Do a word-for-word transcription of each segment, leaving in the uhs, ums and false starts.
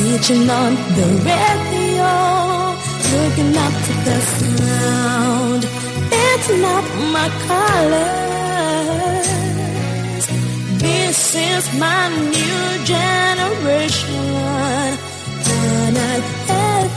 Switching on the radio, looking up to the sound. It's not my colors. This is my new generation. Canal F M.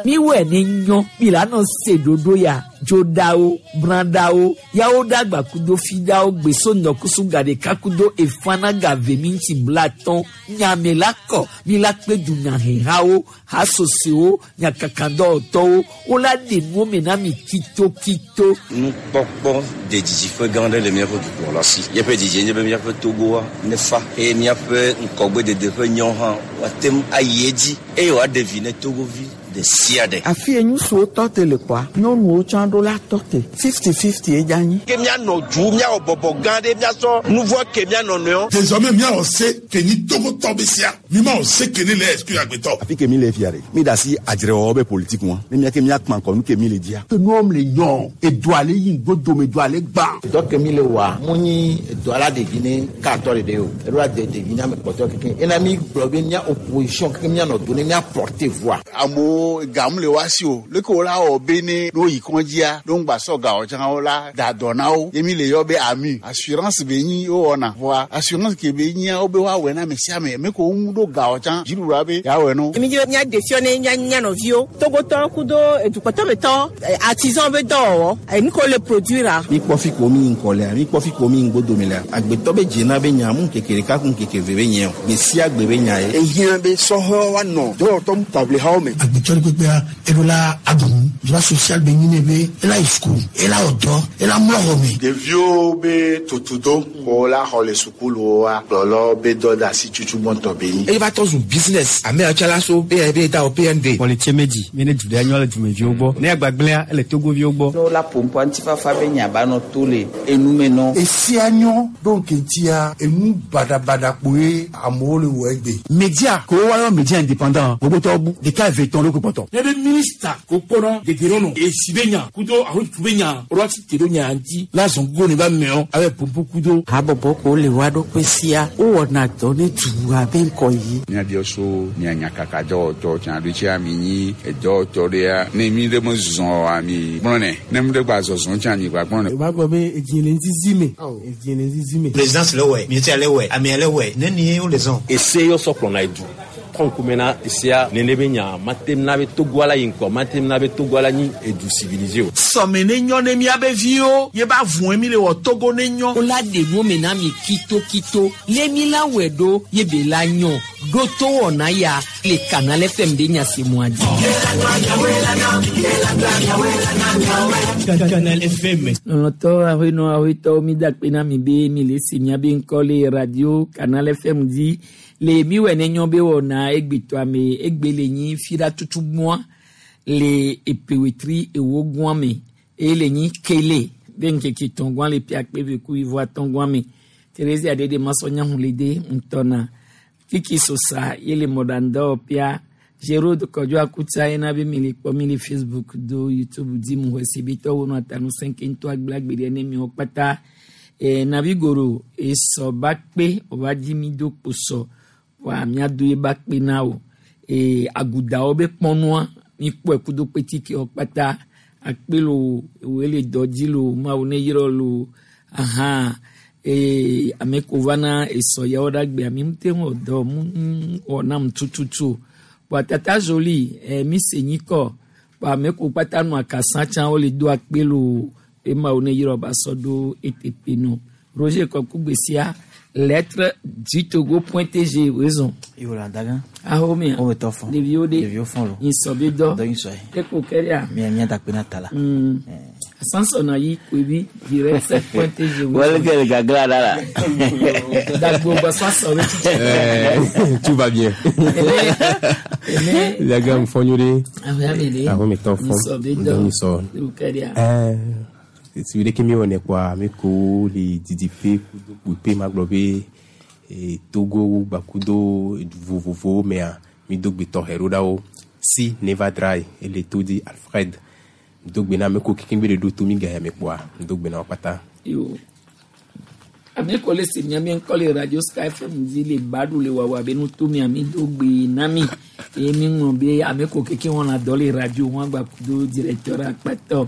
Miwɛ ne nyɔ milano se dodo ya dzodawo bradawo yawo dagba kudo fidawo gbeso nɔkusu gaɖeka kudo efana gave mi ŋuti blatɔn nyame la kɔ mi la kpe dunyahehawo hasosewo nyakakadɔwɔtɔwo wola ɖe nuwo me na mi kitokito. Nukpɔkpɔ de didiƒe gã aɖe le míaƒe dukplɔla si. Míaƒe didie nye be míaƒe Togoa nefa eye míaƒe ŋkɔgbedede ƒe nyɔ hã woate ŋu ayi edzi eye wòaɖe vi ne Togovi ɖe sia ɖe. Afi ye ŋutsuwo tɔ te le kɔa, nyɔnuwo tsã ɖo la tɔ te fifty fifty ye dza anyi. Ke míanɔ du míawɔ bɔbɔ gã ɖe míasɔ nu vɔ ke míanɔ nɔewo. Désormais míawɔ se ke ni Togotɔ be sia mi ma wɔ se ke ne le exclure agbetɔ. Afi ke mi le fia ɖe mi da asi adzrewɔwɔ be politique ŋua ne mía ke míakpã kɔ nu ke mi le dzia. Ke nuwo le nyɔ edu ale yi ŋgodome edu ale gbã. Dɔ ke mi le wɔa mu nyi edɔ ala ɖevi ne katɔ ɖeɖe o eɖo la de ɖevi ne ame kpɔtɔ keke ena mi gblɔ be mía opposition keke míanɔ do ne mía porter voix. Amewo gamu le wa si o leke wo la wɔ be ne no yi kɔndzia no ŋgba sɔ gawo tsã wo la da dɔ na wo ye mi le yɔ be ami assurance be nyi wo wɔna voa assurance ke be nyia wo be woawɔe na ame sia ame me ko wo ŋu ɖo gawo tsã dziɖuɖua be yeawɔe no. Mi dzi be mía ɖe fiɔ ne mía mía nɔviwo Togotɔ kudo edukpɔtɔmetɔ artisan be dɔwɔwɔ enu ko le produire. Mi kpɔ fi ko mi ŋkɔ lea mi kpɔ fi ko mi ŋgodome lea agbetɔ be dzena be nya mu ŋkeke ɖeka ku ŋkeke ve be nye o gbe sia gbe be nya ye. Ehiã be sɔhɛwo woanɔ dɔwɔtɔ taʋlihawo me. Agbetɔ ɖe kpekpea eɖo la aɖu droit social be nyi ne be ela yi sukulu ela wɔ dɔ ela mlɔ xɔ me. Ɖeviwo be tutudo wo la xɔ le sukuluwoa kplɔlɔ be dɔ de asi tutu gbɔntɔ be nyi. Eye va tɔ zu business ame yawo tsã la so P N B da o P N D. Politie medzi mi ne du ɖe nyɔ le dumeviwo gbɔ ne agbagblẽa ele Togoviwo gbɔ. Ne wola ƒoƒoa ŋutifafa be nya ba nɔ to le enume nɔ. Esia nyɔ ɖo ŋkeŋtia enu baɖabaɖa kpoe amewo le wɔ egbe. Media ko woayɔ media indépendant gbogbotɔwo bu ɖeka eve tɔn ɖo ko kpɔtɔ. Ne be minista ko kpɔnɔ dedenɔnɔ esi be nya kudo ahotu be nya alo ati te ɖo nya ŋuti la zɔn go ne ba mɛɔ abe pompo kudo. Habɔbɔ ko le wa ɖokui sia wowɔna dɔ ne dua be ŋkɔ yi. Míabiɔ so mía nyakakadɔwɔtɔ tsã ɖo tsia mi nyi edɔwɔtɔ ɖea ne mi ɖe me zɔ oa mi gblɔnɛ ne mi ɖe gba zɔzɔ tsã mi gba gblɔnɛ. O b'a gbɔ be edzi le ŋzizi me edzi le ŋzizi me. Présidence le wɛ ministère le wɛ amea le wɛ ne ni wo le zɔn. Ese yɔ sɔ kplɔna edu trɔnkumena esia nene be nya matem na be Togo la yi ŋkɔ matem na be Togo la nyi edu civilisé o. Sɔme ne nyɔ ne miabe viwo ye ba vɔe mi le wɔ Togo ne nyɔ. Wola ɖe nuwo me na mi kitokito le mi la wɔe ɖo ye be la nyɔ ɖo to wɔna ya le Canal F M de nyasemua dzi. Canal F M. Lɔlɔtɔ aƒenɔ aƒetɔwo mi da akpe na mi be mi le se miabe ŋkɔ le radio Canal F M dzi le mi wɔ ne nyɔ be wɔna egbetɔa me egbe le nyi fira tutu gbɔa le epewetri ewo gbɔa me eye le nyi kele be ŋkeke tɔn gbɔa le pia kpe ve ku ivo atɔn gbɔa me Teresa ɖe de masɔ nyahulede ŋutɔna kiki sosa ye le mɔɖaŋdɔ pia Gérard Kɔdzo Akutsa yena be mi le kpɔ mi le Facebook do YouTube dzi mu xɔsi be tɔwo nɔ atanu sɛnke ŋutɔ agblagbe ɖe ne miwo kpata e, navigoro esɔ ba kpe wòva dzi mi do kposɔ wa miado ye ba kpe na o e, agudawo be kpɔnua mi kpɔe kudo kpetikewo kpata akpe lo woe le dɔ dzi lo mawu ne yrɔ lo ahan e, ame ko va na esɔ yawo ɖe agbea mi ŋute wɔ dɔ mu wɔ nam tututu o bɔn tata zoli ɛ mi se nyi kɔ bɔn ame ko kpata nɔ akasa tsã wole do akpe lo ema wo ne yrɔ ba sɔ ɖo eteƒe no Roger Kɔkugbesia lettre du Togo point T G wezɔn. Iwola dagan. Aho mi. O bɛ tɔ fɔn. Ɖeviwo de. Ɖeviwo fɔn lo. Nyisɔ be dɔ. Dɔ nyisɔ ye. Eko kɛria. Mia mia da kpe na ta la. Mm. Asansɔna yi koebi direct sept point T G. Wale kɛ gagla da la. Dagbo gbɔsɔsɔ be titi. Euh, tout va bien. Daga mfɔnyo de. Aho mi de. Aho mi tɔ fɔn. Nyisɔ be Dɔ dɔ. nyisɔ. Eko kɛria. Euh, si ɖeke mi wɔnɛ kpoa mi ko le didiƒe kudo kpuiƒe ma gblɔ be eh, Togo gbakudo edu vovovowo mea mi do gbe tɔxɛ ɖo ɖa wo. Si Neva Dry ele to di Alfred. Dogbe na ame ko kekeŋ be le ɖo to mi ga ya me kpoa dogbe na wo kpata. Yo. Ame ko le se miabe ŋkɔ le Radio Sky F M dzi le baɖu le wawa be nutome ami do gbe na mi eye mi ŋlɔ be ame ko keke wɔna dɔ le radio wɔn agba kudo directeur akpatɔ.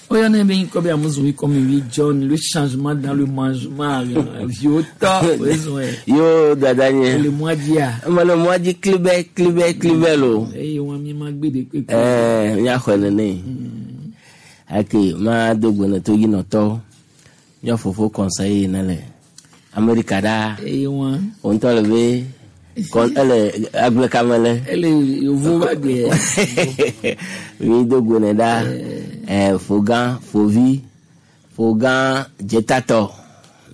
Oyana be ŋkɔ be amuzu comme lui John le changement dans le mangement vieux tɔ oyezo yɛ. Yo dada nye. Le mois dia. Me le mois di klibe klibe klibe lo. Eye wɔn mi ma gbe de kpekpe. Ɛɛ miaxɔe nene. Ake ma do gbe ne to yi nɔtɔ. Mía fofo conseiller ne le Amerika ɖaa. Eye wɔn. Wo ŋutɔ le be kɔn ele agblekame le. Ele yovo ba gbe. Mi do gbe ne ɖaa. Ɛ fogã fovi fogã dzetatɔ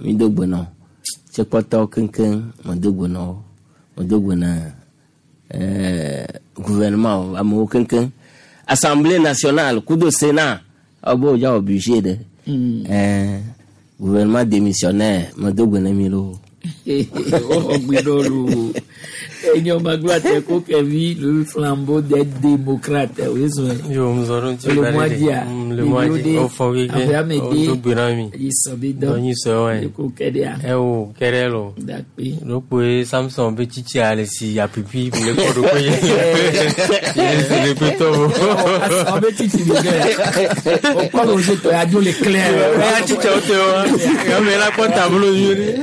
mi do gbe nɔ. Tsekpɔtɔ keŋkeŋ me do gbe nɔ wo. Me do gbe ne ɛɛ gouvernement amewo keŋkeŋ. Assemblée nationale kudo Sénat ɔbɔ wòdza wɔ budget ɖe. Mm. Gouvernement démissionnaire me do gbe ne mi lo. Oh, gbidolu. Enyo magla te ko kevi le flambeau des démocrates. Oui, oui. Yo, mzoro ti le mois dia. Le mois dia. O fo ge. O do gbe na mi. Iso bi do. Nyi so we. Ko kedia. E o kerelo. Dakpe. Lo pe Samson be chichi ale si ya pipi le ko do ko ye. Ye se le pe to. O be chichi bi ge. O ko lo je to ya do le clair. Ya chichi o te o. Ya me la ko tableau yuri.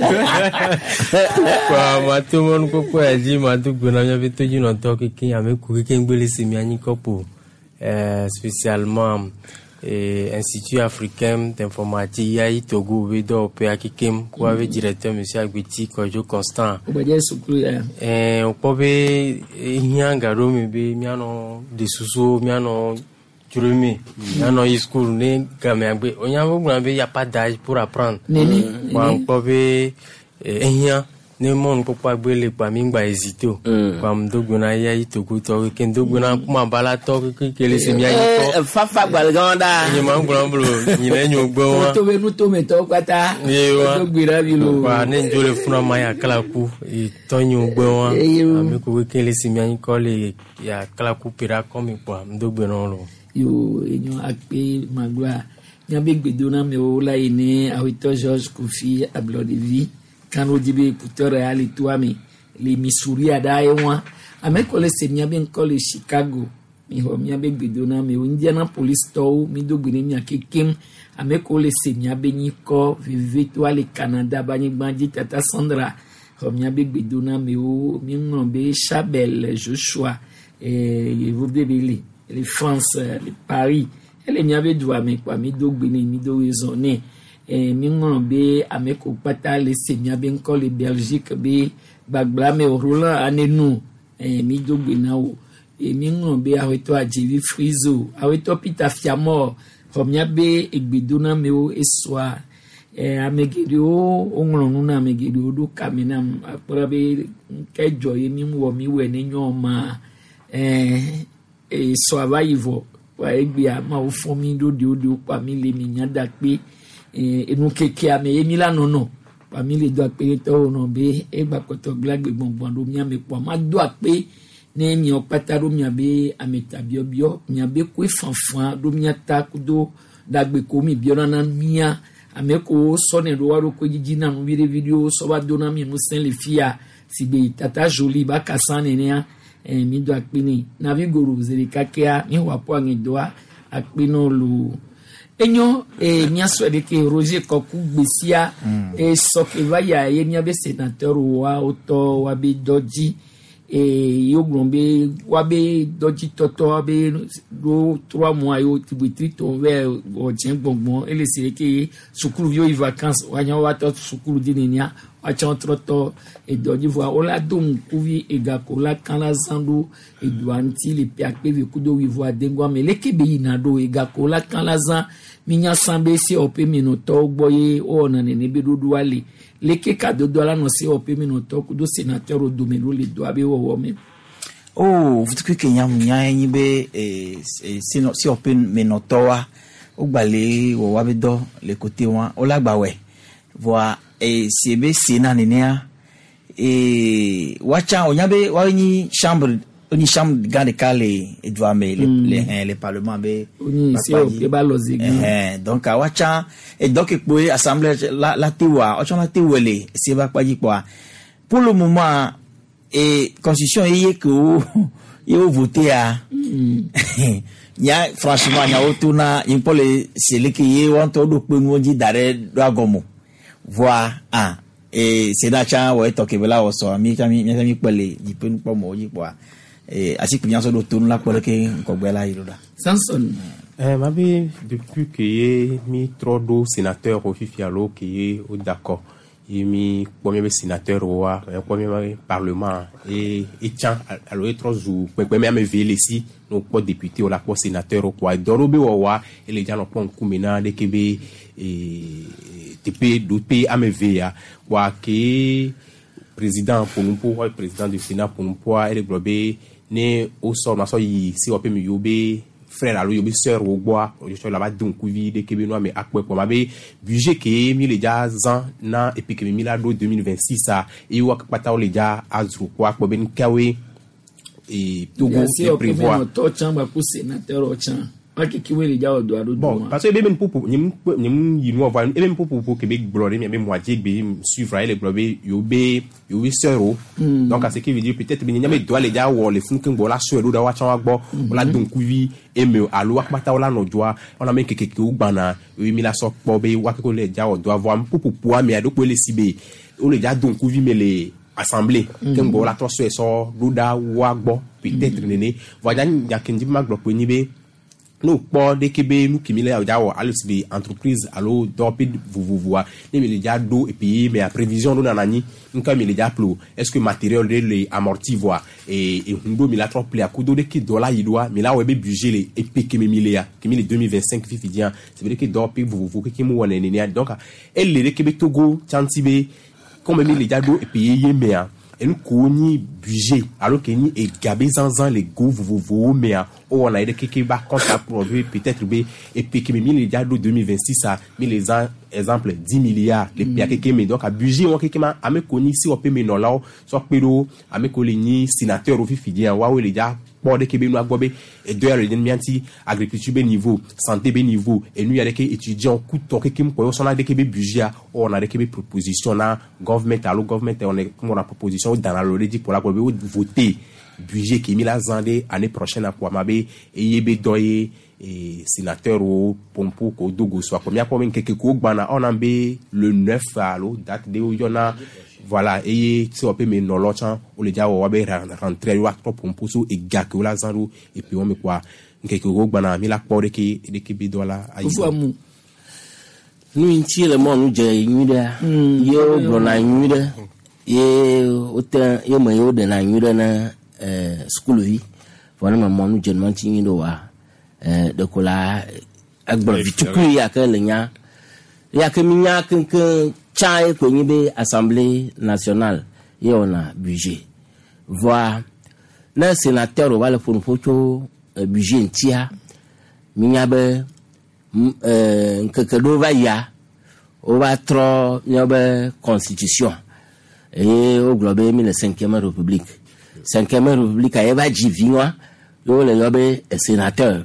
Kwa mato mon ko ko aji mato gbona nya be to jina to keke ame ku keke ngbele se mi anyi kopo euh spécialement et Institut africain d'informatique I A I Togo be do pe akekem ko ave directeur monsieur Agbeti Kojo Constant o be sukulu ya eh o ko be hian garo mi be mi ano de susu mi ano jurumi mi ano school ne game agbe onya bo gbona be y a pas d'âge pour apprendre neni kwa ko be ehian ne mon kpokpo agbele kpa mi gba hésiter o kpa mi dogbe na ya yi Togo tɔ ke dogbe na kuma bala tɔ ke kele se mi ayi kɔ. Fafa gbalẽgã ɖa. Nye ma gblɔ blo nyina nyo gbɔ wa. Tome nutome tɔwo kpata. Ye wa dogbe na mi lo. Wa ne dzo le funa ma ya kala ku tɔ nyo gbɔ wa. Ame ko kele se mi ayi kɔ le ya kala ku pera kɔ mi kpɔ mi dogbe na lo. Yo enyo akpe magba nyabe gbedona mi o la yi ne awetɔ George Kofi Ablɔdevi. Kano dibe écouteur ali toi mi les Missouri ada ewa ame ko le se miabe nko le Chicago mi ho miabe gbedona mi Indianapolis to mi do gbene mi akekem ame ko le se miabe nyiko vive toi le Canada ba nyigba tata Sandra ho miabe gbedona mi o mi ngombe Chabel Joshua et vous bébé les France les Paris elle miabe doa mi kwa mi do gbene mi do raisonner eh mi ŋlɔ be ame ko kpata le se miabe ŋkɔ le Belgique be gbagbla me Roland anenu eh mi do gbe na wo e mi ŋlɔ be awetɔ Adjevi Frizo awetɔ Peter Fiamor xɔ miabe egbedona mewo esɔa eh ame geɖewo woŋlɔ nu na ame geɖewo ɖo kame nam akpɔ be nke dzɔ ye mi wɔ mi wɔe ne nyɔ ma eh esɔa va yi vɔ wa egbea mawo fɔ mi ɖo ɖewo ɖewo kpa mi le mi nya da kpe. Enu keke ame ye mi la nɔnɔ kpa mi le do akpe tɔwo nɔ be egba kɔtɔ gblẽ gbɔngbɔn ɖo miame kpɔ ma do akpe ne miawo kpata ɖo miabe ameta biɔbiɔ miabe koe fanfan ɖo miata kudo ɖagbe ko mi biɔna na mia ame ko sɔne ɖo wa ɖo koe dzidzi na nu viɖe viɖewo sɔ va do na mi ŋusẽ le fia si be tata Jolie ba kasa nenea eh, mi do akpe ne navi goro zi ɖeka kea mi xɔ aƒu aŋedoa akpe nɔ loo. Enyo e miasɔ de ke Roger Kɔku gbesia e sɔke va ya ye miabe sénateur wa wotɔ wa be dɔ dzi e yewo gblɔ be wa be dɔdzi tɔtɔ wa be ɖo trois mois yewo wetri tɔ vɛ wɔ gbɔngbɔn ele si de ke sukuluviwo yi vacances wa nya wa tɔ sukulu di nenia watsã trɔ tɔ edɔ dzi vɔa wola do ŋkuvi egako la kan la zã ɖo edoa ŋuti le ƒe akpe eve kudo wuivoa adegɔa me leke be yina ɖo egako la kan la zã minya sã be C O P menɔtɔwo gbɔ ye wowɔna nene be ɖoɖoa le leke kadodoa la nɔ C O P menɔtɔwo kudo sénateur dome ɖo le doa be wɔwɔ me. Oh, vutukui ke nya nya nyi be eh, C O P menɔtɔwoa wogba le wɔ woabe dɔ le kote wa wola gba wɔe voa e si be Sénat nenea e woatsã wonya be woabe nyi chambre Oni chambre gã ɖeka le edua me le le hɛn le parlement be. Oni C O P ba lɔ zi gã. Ɛhɛn, donc awa tsã edɔ ke kpoe assemblée la la te wa ɔtsɔ la te wɔ le ese ba kpa dzi kpɔa, pour le moment e constitution ye ke wo ye wo voté a nya, franchement, nyawo to na nye kpɔ le sele ke ye wɔn ŋutɔ ɖo kpe nuwo dzi da ɖe ɖo agɔme voa ah e sénat tsã wɔ etɔ ke be la wɔ sɔ mi tsã mi mi mi kpɔ le dziƒe nukpɔmɔwo dzi kpɔa e asikpe nya sɔ ɖo tonu la kpɔ ɖe ke ŋkɔgbe la yi ɖo ɖa. Samson. Eh, mabe depuis que ye mi trɔ ɖo sénateur wo fifi alo ke ye wo d'accord ye mi kpɔ mi be sénateur woa, mi kpɔ mi be parlement e etsã alo ye trɔ zu kpekpe mi ame eve le si ne wokpɔ député wo la kpɔ sénateur wo kpoa dɔ ɖewo be wɔwɔa ele dza nɔ kpɔ ŋkume na ɖeke be ee teƒe ɖote ame eve ya kpoa ke président ƒonuƒo xɔ président du Sénat ƒonuƒoa ele gblɔ be ne wosɔ nua sɔ yi si wɔƒe mi yiwo be frère alo yiwo be sœur wo gbɔa wotsɔ la va do ŋkuvi ɖeke be nua me akpɔe kpɔ ma be budget ke mi le dza zã na epi ke mi la ɖo deux mille vingt-six a eye wo kpata wo le dza azro kpɔ akpɔ be nukawoe e Togo C O P e prévoir. Nɔtɔ tsã gba ku sénateur tsã wakeke wo le dza wɔ do aɖo Bon, parce que ebe mi popo nye nye yi nua voa ebe mi popo ke be gblɔ ɖe mi be moitié gbe suivre ele gblɔ be yewo be yewo be sœur o. Mm. Donc à ce qui veut dire peut-être be nye be doa le dza wɔ le funu keŋ gbɔ la sɔe ɖo ɖa woatsã wa gbɔ wola do ŋkuvi eme o alo akpata wola nɔ dzoa wɔna me keke kewo gbãna eye mi la sɔ kpɔ be woakeke le dza wɔ doa voa popopoa mea ɖokpo le si be wole dza do ŋkuvi me le assemblée Mm. keŋ gbɔ wola trɔ sɔe sɔ ɖo ɖa woa gbɔ peut-être nene voa dza nya ke ŋdi be ma gblɔ kpoe nyi be ne wokpɔ ɖeke be nu kemi le dza wɔ alo si be entreprise alo dɔwɔƒe vovovoa ne mi le dza ɖo epi mea prévision ɖo nana anyi nuka mi le dza ƒle o, est ce que matériel ɖe le amorti voa e ehun ɖo mi la trɔ ƒle akudo ɖeke dɔ la yi ɖoa mi la wɔ ebe budget le epe kemi mi lea kemi le deux mille vingt-cinq fifi dzia c'est vrai que dɔwɔƒe vovovo keke mu wɔnɛ nenea. Donc ele ɖeke be Togo tsanti be comme mi le dza ɖo epi yeye mea enu ko nyi budget alo ke nyi ega be zanzan le go vovovowo mea wowɔna yi ɖe keke ba compte produit peut-être be epe keme mi le dza ɖo deux mille vingt-six a mi le zã exemple dix milliards le pea keke me. Donc a budget wɔn keke ma ame ko nyi si wɔƒe me nɔlawo sɔ kpe ɖo ame ko le nyi sénateur wo fifi dzia woawoe le dza kpɔ ɖeke be nua gbɔ be edɔ ya le ɖe mía ŋuti agriculture be niveau, santé be niveau, enu ya ɖeke étudiant kutɔ keke mu kɔ wosɔna ɖeke be budget a wowɔna ɖeke be proposition na government alo government wɔna wɔna proposition wo dana lo ɖe dzi kpɔ la gbɔ be wo voter budget ke mi la zã ɖe année prochaine kpoa ma be eye be dɔ ye e sénateur wo pompo ko do go so akpɔ míakpɔ be ŋkeke ko gbana ɔna be le neuf alo date de woyɔna voilà eye si wɔƒe me nɔlɔ tsã wole dza wɔ woabe rentrée woatrɔ pompo so ega ke wola zã ɖo epi wɔme kpoa ŋkeke ko gbana mi la kpɔ ɖeke ɖeke be dɔ la ayi. Nu yi ŋuti le mɔnu dze nyui ɖea ye wogblɔna nyui ɖe ye wote ye me ye woɖena nyui ɖe na eh, sukuvi vɔ ne me mɔnu dze nua ŋuti nyui ɖe oa eh, ɖeko la egblɔ vitukui ya ke le nya ya ke mi nya keŋkeŋ tsã ye koe nyi be Assemblée nationale ye wɔna budget voa ne sénateur va le ƒo nuƒo tso eh, budget ŋutia mi nya be m- eh, ŋkeke ɖewo va yia wova trɔ míaƒe constitution eye wogblɔ be mi le cinquième république. Cinquième république ye va dzi vi wa ye wole yɔ be sénateur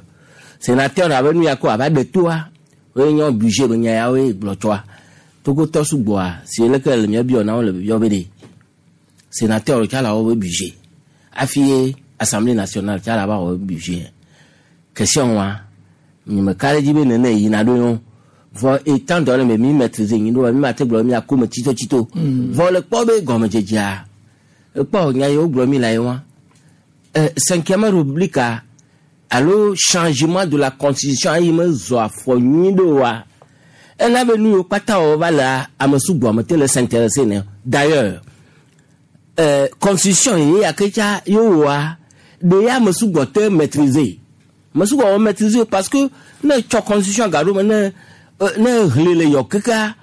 sénateur abe nu ya ko ava ɖe toa woye nye budget be nya ya woye gblɔ tsoa Togotɔ sugbɔa si leke le mía biɔ na wo le yɔ be ɖe sénateur tsa la wɔ be budget hafi ye Assemblée nationale tsa la va wɔ be budget question wa nye me ka ɖe dzi be nene yina ɖo yɔ vɔ étant donné me mi maîtriser nyi ɖo mi ma te gblɔ mi akó me tsitotsito vɔ le kpɔ be gɔmedzedzea ekpɔ nya yi wogblɔ mi la ye wa euh, cinquième république a alo changement de la constitution ayi me zɔ afɔ nyui ɖo wa ena be nu yiwo kpata wɔ va le ame sugbɔ me te le s'intéresser ne. D'ailleurs euh, constitution ye ya ke tsa ye wɔa ɖe ya ame sugbɔ te maîtriser ame sugbɔ wɔ maîtriser parce que ne tsɔ constitution gaɖo me ne euh, ne hlẽ le yɔ keka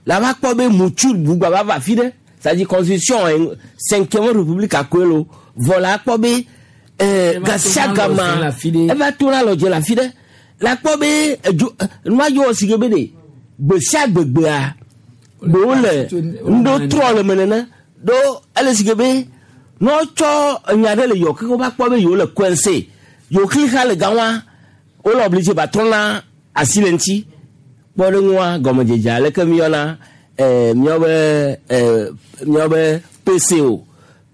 la va kpɔ be mutsu bugba va va fi ɖe c'est-à-dire constitution eh, cinquième république akoe lo vɔ la kpɔ be euh, gasiagama eva tona lɔdze le afi ɖe la kpɔ be edzo nua yi wɔ si ke be ɖe gbe sia gbegbea ɖewo le ŋɖo trɔ le me nene ɖo ele si ke be Ne wotsɔ enya ɖe le yewo ke wova kpɔ be yewo le coincé yewo xlixa le gawa wole obligé ba trɔna asi le ŋuti kpɔ ɖe ŋua gɔmedzedze aleke míyɔna ɛɛ míawo be ɛɛ míawo be PC o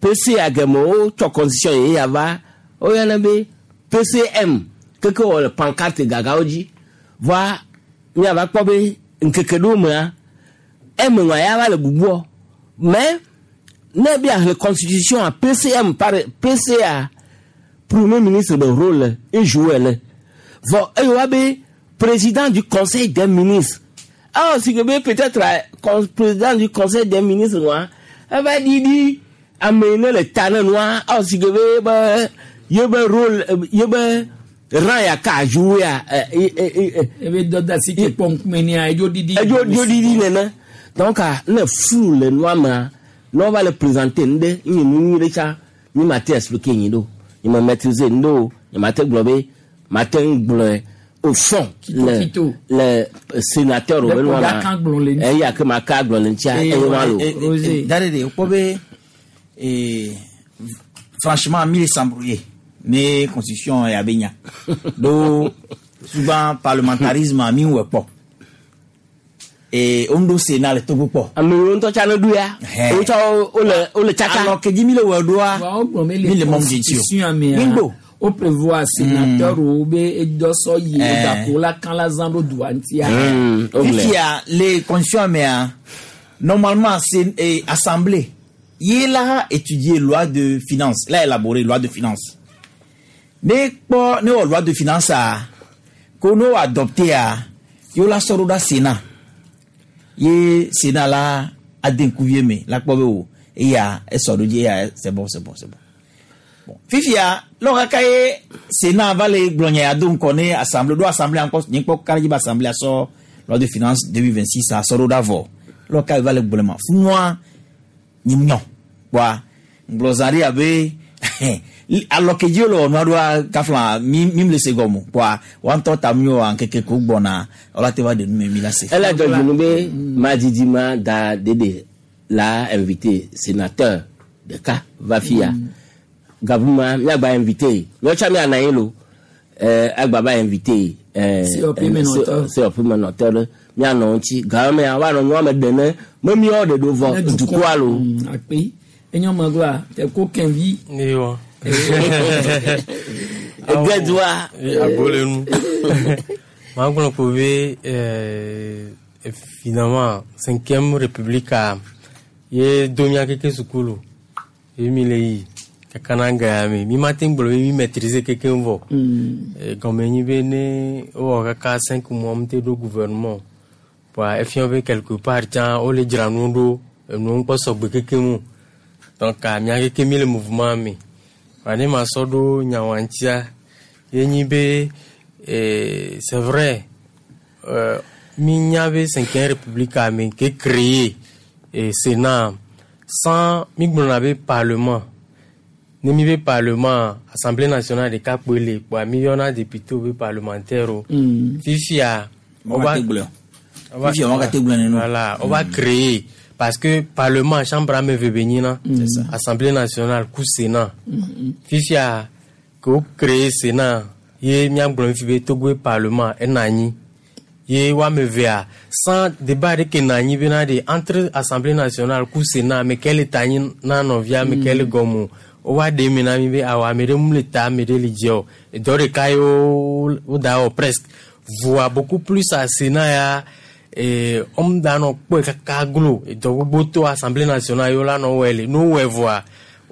PC ageme wotsɔ constitution yeye ya va woyɔna be PCM keke wɔ le pancarte gagawo dzi voa míava kpɔ be ŋkeke ɖewo mea eme ŋua ya va le bubuɔ mais ne bi ahle constitution a PCM par PCA premier ministre be rôle e joué le vɔ eye wa be président du conseil des ministres alors si que be peut-être euh, président du conseil des ministres ŋua eva ɖiɖi ame yi ne le ta ne nua alors si que be be ye be rôle euh, ye be rang ya ka joué a ebe dɔdasi ke kpɔ ŋkume nia edzo ɖiɖi edzo dzo ɖiɖi nene donc ah, ne flou le nua mea ne wova le présenter nu ɖe nye nu nyui ɖe tsa mi ma te expliquer nyi ɖo nye me maîtriser nu ɖe o nye ma te gblɔ be ma te ŋu gblɔe au fond le Kito. le sénateur Le be nua ko ya kan gblɔ le ma ŋuti. eya ke ma ka gblɔ le ŋutia eye ma lo Dare de kpɔ be eh, franchement mi le s'embrouiller ne constitution ya be nya do souvent parlementarisme mi wɔ kpɔ eh, o ŋu ɖo sénat le Togo kpɔ. ame yiwo ŋutɔ tsa ne ɖu ya wo tsã wole wole tsaka. alɔ kedzi mi le wɔ ɖoa wogblɔ be mi le le mɔm dzi o constitution mea mi ŋgbo. wo prévoir sénateur wo be edɔsɔ yi Eh. gako la kan la zã ɖo dua ŋutia. fifia le constitution mea normalement c'est eh, assemblée ye la étudier loi de finance la élaborer loi de finance ne kpɔ ne wɔ loi de finance a ko ne wɔ adopté a ye la sɔ ɖo ɖa sénat ye sénat la ade ŋkuvie me la kpɔ be o eya esɔ ɖo dzi eya c'est bon c'est bon c'est bon bon fifia lɔ kaka ye sénat va le gblɔ nya ya do ŋkɔ ne assemblée ɖo assemblée ŋkɔ nye kpɔ ka dzi be assemblée asɔ loi de finance deux mille vingt six asɔ ɖo ɖa vɔ lɔ ka va le gblɔ ma funua nye nyɔ kpɔa ŋgblɔ zã ɖe abe alɔ kedzi wole wɔ nua ɖoa kafla mi mi le se gɔme o kpɔa wa ŋutɔ ta mi wɔ ŋkeke ko gbɔna ɔla te va ɖe nu me mi la se. ele dzɔdzi nu be madidi ma da dede la invité sénateur ɖeka va fia gabuma miagba invité míawo tsã miana anyi lo ɛɛ agba va invité ɛɛ COP menɔtɔ. COP menɔtɔ ɖe mianɔ ŋuti gamea woanɔ nua me ɖe ne me miawo ɖe ɖo vɔ dukɔa lo. akpe enyo me gba te ko kɛnvi. Ewa. Egedua. Abolenu. Magblɔ ko be euh, finalement cinquième république a ye do mía keke sukulu ye mi le yi kaka na ga ya me mi ma te ŋu gblɔ be mi maîtriser keke vɔ. Eh, gɔme nyi be ne wowɔ kaka cinq mois mi te ɖo gouvernement voa efia be quelque part tsã wole dzra nu ɖo enuwo ŋkpɔ sɔgbe keke mu donc ah, mía keke mi le mouvement me voa ne ma sɔ ɖo nyawoa ŋutia ye nyi be eh, c'est vrai euh, mi nya be cinquième république a me ke créé eh, sénat sans mi gblɔna be parlement ne mi be parlement assemblée nationale ɖeka kpoe le kpoa mi yɔna député wo be parlementaire o fifia Wɔn ka te gblɔ. Fifia wɔn ka te gblɔ nenu. voilà on va créer parce que parlement chambre ame eve be nyina C'est ça. assemblée nationale ku sénat fifia ke wo créé sénat ye míagblɔ fi be Togo parlement ena anyi ye woame evea sans débat ɖeke nɔ anyi bena ɖe entre assemblée nationale ku sénat ame ke le ta anyi na nɔvia ame ke le gɔme o wova ɖe eme na mi be awɔ ame ɖe mu le ta ame ɖe le dzi o edɔ ɖeka ye wo wo da wɔ presque voa beaucoup plus a sénat ya eh, wɔm da nɔ kpɔe kaka glo edɔ gbogbo to assemblée nationale ye wola nɔ wɔe le ne wowɔe vɔa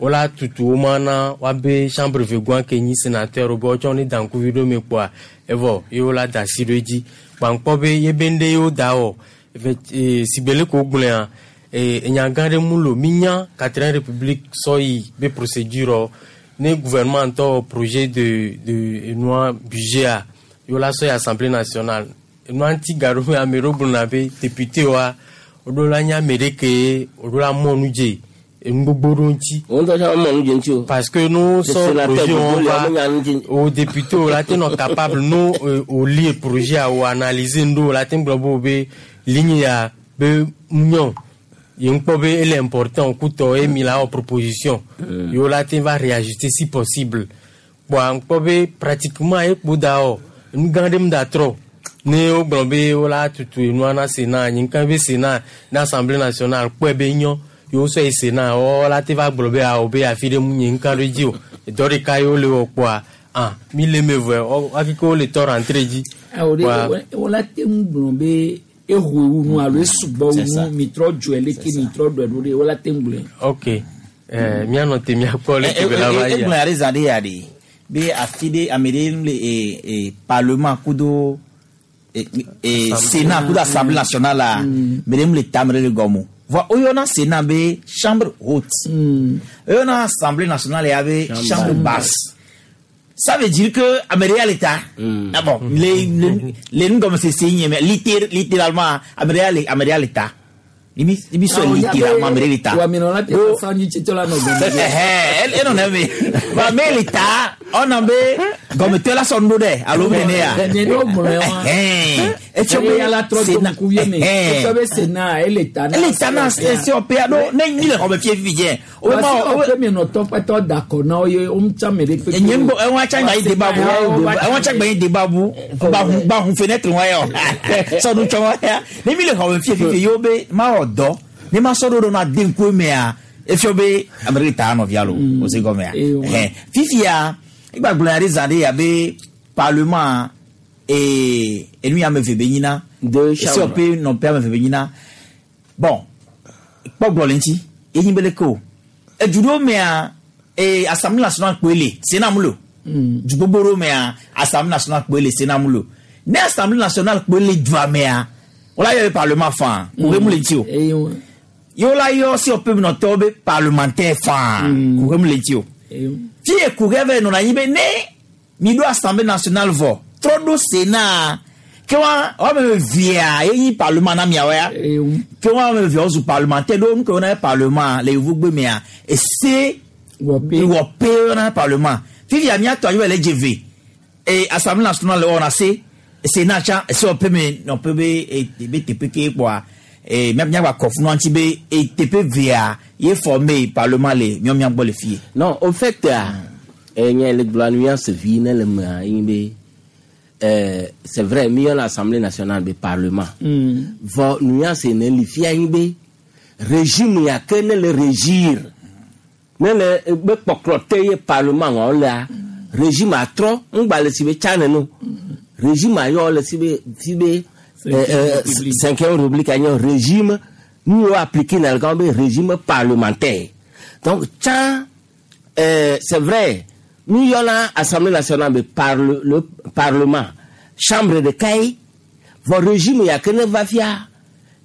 wola tutu wo ma na woabe chambre vegoa ke nyi sénateur be wotsɔ ne da ŋkuvi ɖo me kpoa evɔ ye wola da asi ɖo edzi kpaŋkpɔ be ye be ŋɖe ye wo da wɔ efe eh, sigbe le ko gblɔa eh, enya gã ɖe mu lo minya quatrième république sɔ yi be procédure wɔ ne gouvernement ŋutɔ wɔ projet de de enua budget a ye wola sɔ yi assemblée nationale enua ŋuti gaɖo me ame ɖewo gblɔna be député wa woɖo la nye ame ɖe ke woɖo la mɔ nu dze enu gbogbo ɖo ŋuti. Wo ŋutɔ tsã mɔ nu dze ŋuti o. parce que nous Le sɔ sénateur projet gbogbo wɔn le va wo menya nu dze. o député o la te nɔ capable no euh, o lire projet a o analyser nu ɖo o la te gblɔ be o be ligne ya be nyɔ Ye ŋkpɔ be ele important kutɔ ye mi la wɔ proposition. Ye wo la te va réajuster si possible. Kpoa ŋkpɔ be pratiquement ye kpo da wɔ nu gã ɖe mu da trɔ. Ne wogblɔ be wola tutu enua na Sénat, nye ŋka be Sénat na Assemblée nationale kpɔe be nyɔ ye wosɔ yi Sénat wɔ la te va gblɔ be awɔ be afi ɖe mu nye ŋka ɖo dzi o. Dɔ ɖeka ye wole wɔ kpoa ah mi le me vɔe ɔ akeke wole tɔ rentré dzi. Awo ɖe Kpoa- wola te ŋu gblɔ be eho wu nu alo esugbɔ wu C'est ça. nu mitrɔ dzɔe leke mitrɔ ɖɔe ɖo ɖe wola te ŋu gblɔe. Ok ɛɛ mianɔ te miakpɔ leke be la va yia. Egblɔ ya ɖe zã ɖe ya ɖe be afi ɖe ame ɖe le e e parlement kudo e e Sénat kudo Assemblée nationale la me ɖe mu le tame ɖe le gɔme o. Vɔ woyɔna Sénat be chambre haute. Woyɔna Assemblée nationale ya be chambre basse. Ça veut dire que ame ɖe ya le ta. Ah bon, le le le nugɔmesese nye me littér littéralement ame ɖe ya le ame ɖe ya le ta. Ibi ibi sɔ littéralement ame ɖe le ta. Wàmìnà la te sasa nyi tsitsɔ la nɔ gɔme. Ɛhɛn, enɔ ne me. Wa me le ta, ɔna be gɔmetɔ la sɔ nu ɖo ɖe alo be ne ya. Nye ne wogblɔe wa. Ɛhɛn, etsɔ be Eye ala trɔ do Sénat- ŋkuvi me. Ɛhɛn. Etsɔ be Sénat ele ta na. Ele ta na C O P ɖo ne nyi le xɔme fie fifi dze. O Parce ma o que mi nɔ tɔkpɛtɔ da kɔ na wo ye wo ŋutsa me ɖe kpekpe. nye ŋgbɔ ɛwọn atsa gba yi débat bu ɛwọn atsa gba yi débat bu gba hun gba hun fenêtre wa yɔ sɔnu tsɔ wa ya ne mi le xɔme fie fifi yewo be ma wɔ dɔ ne ma sɔ ɖo ɖo na de ŋku mea efio be ame ɖe ta nɔvia lo o se gɔmea ɛhɛn fifia egba gblɔ ya ɖe zã ɖe ya be parlement ee enu ya ame eve be nyina Deux C O P nɔƒe ame eve be nyina bon kpɔgblɔ le ŋuti enyi be leke o edu ɖewo mea ee Assemblée nationale kpoe le Sénat mu le o du gbogbo ɖewo mea Assemblée nationale kpoe le Sénat mu le o ne Assemblée nationale kpoe le dua mea wola yɔ be parlement faa kuxe mu le ŋuti o ye wola yɔ C O P nɔtɔwo be parlementaire faa kuxe mu le ŋuti o fi ye kuxe vɛ nɔna anyi be ne mi ɖo Assemblée nationale vɔ trɔ ɖo Sénat ke wa woame evea ye nyi parlement na miawo ya ke wa ame evea wozu parlementaire ɖo nu ke wona ye parlement le yevugbe mea ese wɔpe wona ye parlement fifia miatɔ anyi be le dze ve e Assemblée nationale wɔna se Sénat tsã ese wɔpe me nɔƒe be e be teƒe ke kpɔa e mia miagba kɔ funu ŋuti be e teƒe vea ye forme parlement le miɔ mia gbɔ le fie. Non, au fait, ah, eh, nye le gblɔ nuance vi ne le mea ye be euh, c'est vrai mi yɔna Assemblée nationale be parlement. Vɔ nuance ne li fia nyi be régime ya ke ne le régir ne le be kpɔkplɔ te ye parlement wa lea régime atrɔ ŋgba le si be tsa neno régime ayɔ le si be si be euh, euh, cinquième république anyi régime nu yɔ appliqué na le kan be régime parlementaire donc tsa euh, c'est vrai mi yɔna Assemblée nationale be parle le parlement chambre de kai vɔ régime ya ke ne va fia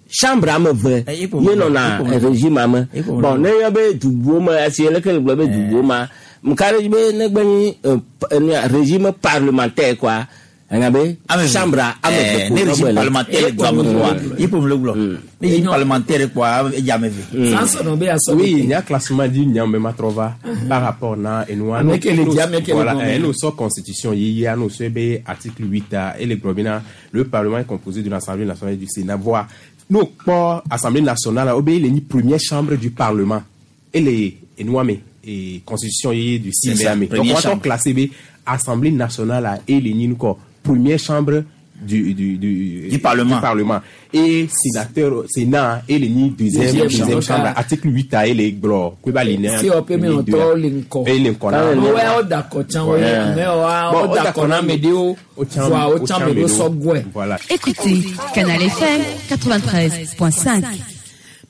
chambre ame eve ye nɔna régime ame bon ne yɔ be dubuwo me esi leke le gblɔ be dubuwo ma nka ɖe dzi be ne gbe nyi euh, p- euh, nuya, régime parlementaire quoi enya be chambre ame eve ko ne régime nɔgbe le. parlementaire le dua me kpɔa ye ƒome le gblɔ ne régime parlementaire kpɔa edze ame eve. Oui, il y a classement dit nyame matrova par rapport na et nous Ame ke le di, ame ke le voilà, gɔme. eh, nous sommes constitution il y a nous sommes article huit A et le globina le parlement est composé de l'Assemblée nationale et du Sénat. Voilà. Nous pas Assemblée nationale obéit les première chambre du parlement et les et nous amé et constitution y du six C'est ça, mai. Donc première on va chambre. classer B Assemblée nationale à et les ni quoi première chambre du du du, Du Parlement. du parlement et sénateur Sénat et les ni deuxième Deuxième deuxième chambre. chambre article huit A et les glo quoi les C O P mi nɔtɔ le ŋkɔ. et les ŋkɔ na Ame wa wo da kɔ tsã wo ye ame wa wo da kɔ na ame ɖewo vɔa wo tsã ame ɖewo sɔ gɔe. Voilà. Écoutez Canal F M quatre-vingt-treize point cinq.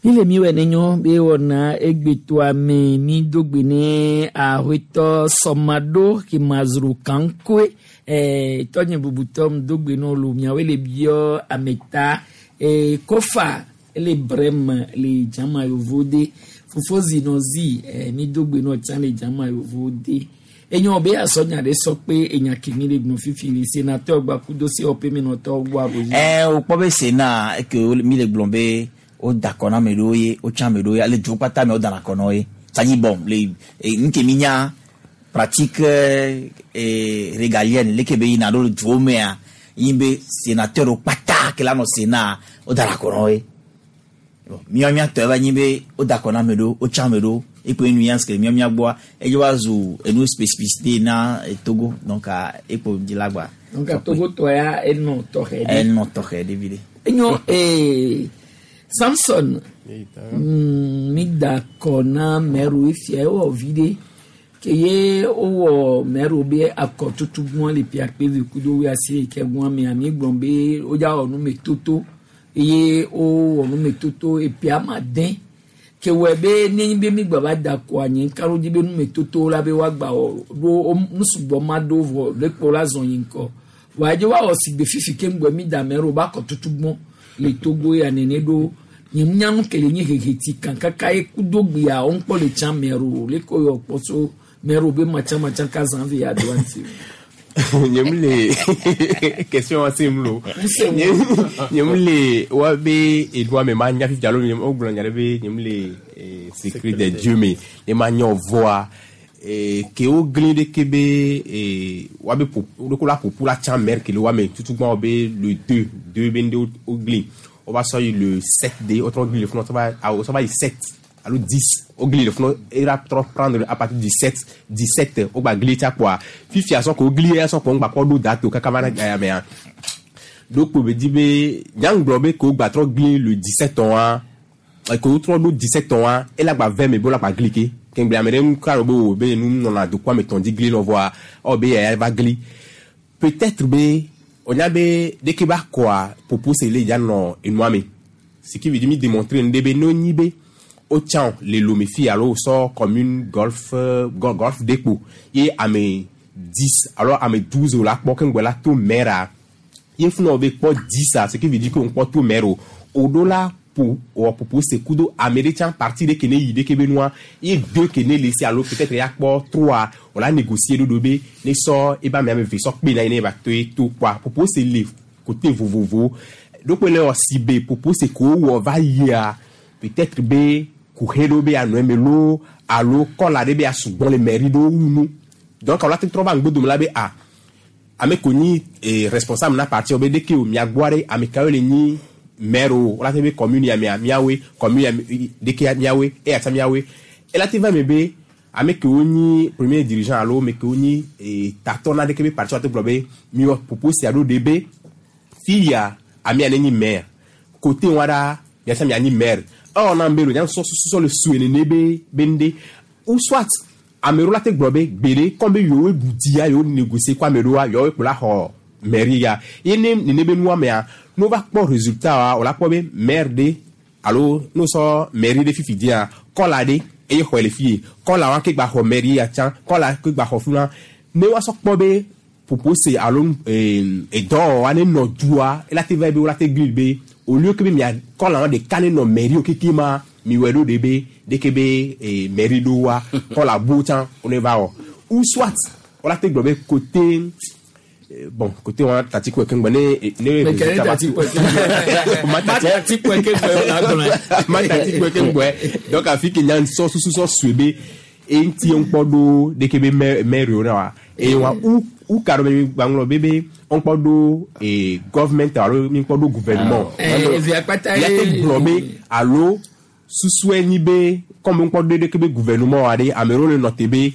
Mi le mi wɔ ne nyɔ be wɔna egbetoa me mi do gbe ne aƒetɔ sɔmaɖo kemazro kankoe ɛɛ tɔnye bubutɔ mi do gbe ne lo miawoe le biɔ ameta ɛɛ kofa ele brem le dzama yovo de fofo zinɔ zi ɛɛ mi do gbe ne tsã le dzama yovo de enyo be asɔnya ɖe sɔ kpe enya kemi le gbɔn fifi le sénateur gbakudo C O P mi nɔtɔ gbɔ abo ɛ o kpɔ be Sénat eke wo- mi le gblɔ be wo da kɔ na ame ɖewo ye wo tsã ame ɖewo ye ale duwo kpata me wo dana kɔ na wo ye sanyi bɔn le e, nu ke mi nya pratique eh, régalienne leke be yina ɖo le duwo mea yi be sénateur wo kpata ke la nɔ Sénat wo dana kɔ na wo ye Bon, mía míatɔ eva nyi be woda akɔ na ame ɖewo wotsa ame ɖewo ekpe nuance ke mía mía gbɔa edze va zu enu spécificité na eh, Togo donc ah, ekpo dzi la gba Donc Togo tɔ ya enɔ tɔxɛ ɖe. Enɔ tɔxɛ ɖe vi ɖe. Enyo ee Samson mm, mi da akɔ na mɛro efia ewɔ vi ɖe ke ye wowɔ mɛro be akɔ tutu gbɔn le pia kpe kudo wuiasi yi ke gbɔn mea mi gblɔ be wodza wɔ numetoto eye wowɔ numetoto epia ma de ke wɔ be nenye be mi gba va da akɔa nye ka ɖo dzi be numetoto la be woagba wɔ ɖo wo- nusugbɔ ma ɖo vɔ ɖekpo la zɔn yi ŋkɔ vɔa edze woawɔ sigbe fifi ke ŋgbɔ mi da mɛro ba akɔ tutu gbɔn le Togo ya nene ɖo nye nyanu kele nye hehe ti kan kaka ye kudo gbea wo ŋkpɔ le tsã mɛro le ko yɔ kpɔ so mɛro be matsa matsa ka zã vi ya do ŋuti. Nye mu le question wa se mu lo nye nye mu le wa be edoa me ma nya fifi alo nye o gblɔ nya ɖe be nye mu le eh, secret des dieux me ne ma nya vɔa eh, ke wo gli ɖe ke be eh, wa be ƒo ɖeko la ƒoƒu la tsã mɛr ke le wa me tutugbɔn wo be le deux deux be ŋɖe wo gli wo va sɔ yi le sept de wo trɔ gli le funu wo va ah, wo sɔ va yi sept alo dix wo gli le funu e la trɔ prendre à partir du sept dix-sept wo gba gli tsa kpoa fifia sɔ ko wo gli ya sɔ kpo ŋgba kɔ ɖo date o kaka va na aya mea ɖo kpo be di be nyaŋgblɔ be ko gba trɔ gli le dix-sept wa ko wo trɔ ɖo dix-sept wa ela gba vɛ me be wo la gba gli ke kengble ame ɖe ŋu ka be o be nu nɔna dokɔ ame tɔn dzi gli nɔ vɔa ɔ be yaya va gli peut-être be onya be ɖeke ba kɔa popo se le dza nɔ enua me ce qui veut dire mi démontrer nu ɖe be ne wonyi be wotsã le Lomé fi alo wosɔ commune golf euh, gol- golf dekpo ye ame dix alo ame douze wo la kpɔ keŋgbɔ la to maire ye funu wo be kpɔ dix a ce qui veut dire que wo kpɔ to maire o o ɖo la ƒo wɔ popo se kudo ame ɖe tsã parti ɖe ke ne yi ɖeke be nua ye deux ke ne le si alo peut-être ya kpɔ trois o la négocier ɖoɖo be ne sɔ ebe ame ame eve sɔ kpe na ye ne ba to ye to kpoa popo se le côté vovovo ɖokpe le wɔ si be popo se ko wɔ va yia peut-être be kuxe ɖewo be anɔ eme loo alo kɔla ɖe be asugbɔn le mairie ɖewo wu nu donc awo la te trɔ va ŋgbodome la be a ame ko nyi eh, responsable na parti wo be ɖeke o mia gbɔa ɖe ame kawo le nyi maire o wo la te be commune ya mea miawoe commune ya me- ɖeke miawoe eya tsa miawoe ela te va me be ame kewo nyi premier dirigeant alo ame kewo nyi eh, tatɔ na ɖeke be parti wa te gblɔ be miwɔ popo sia ɖo ɖe be fi ya amea ne nyi maire côté wa ɖa miatsa mia nyi maire ewɔ na be lo nya sɔ sɔ le sue nene be be ŋɖe ou soit ame ɖewo la te gblɔ be gbeɖe kɔm be yewoe ɖu dzia yewo négocier kɔ ame ɖewoa yewoe kpo la xɔ mairie ya ye ne nene be nua mea ne wova kpɔ résultat wa wo la kpɔ be maire ɖe alo ne wosɔ mairie ɖe fifi dzia kɔla ɖe eye xɔe le fie kɔla wa ke gba xɔ mairie ya tsã kɔla ke gba xɔ fi ma ne woasɔ kpɔ be popo se alo eh, edɔwɔwa ne nɔ dua ela te va be wola te gli be au lieu que be mia kɔla wa ɖeka ne nɔ mairie o keke ma mi wɔ ɖo ɖe be ɖeke be eh, mairie ɖo wa kɔla bo tsã wo ne va wɔ ou soit wola te gblɔ be côté eh, bon côté wa tati kpe keŋgbɛ ne ne Mais quel est résultat va tati tu- kpe keŋgbɛ? Ma Ma tati kpe keŋgbɛ o la gblɔe. ma tati kpe keŋgbɛ donc afi ke nya sɔ susu sɔ sue be eŋuti ŋkpɔ ɖo ɖeke be maire maire wo na wa eye wa u u ka ɖo be gbaŋlɔ be be ŋkpɔ ɖo eh, government alo mi ŋkpɔ ɖo gouvernement Eh, evia kpata ya te ye- gblɔ be alo susue nyi be comme ŋkpɔ ɖo ɖeke be gouvernement wa ɖe ame ɖewo le nɔ te be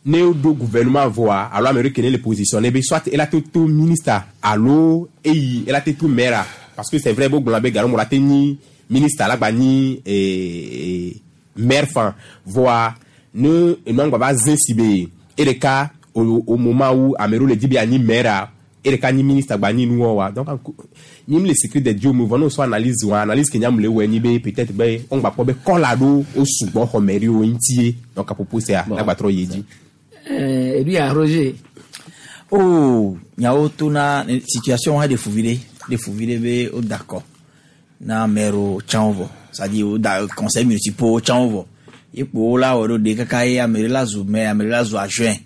ne woɖo gouvernement vɔa alo ame ɖe ke ne le positionné be soit ela te to ministre alo eyi ela te to maire parce que c'est vrai bo gblɔna be galo mo la te nyi ministre la gba nyi eh, maire fan vɔa ne enua ŋgba va zẽ si be eɖeka au, au moment où ame ɖewo le di be anyi maire eɖeka nyi ministre gba nyi nuwɔ wa donc nyi mi le secret des dieux me vɔ ne wosɔ analyse wa analyse ke nya mu le wɔ nyi be peut-être be wo ŋgba kpɔ be kɔla ɖo wo sugbɔ xɔ mairie wo ŋutie donc à propos sia la gba trɔ yi dzi. Eh, ebi ya Roger. Oh, nyawo tona situation wa de fuvi ɖe de fuvi ɖe be wo da akɔ na maire tsãwo vɔ c'est-à-dire wo da conseil municipal tsãwo vɔ ye kpo wo la wɔ ɖo ɖe kaka ye ame ɖe la zu maire ame ɖe la zu adjoint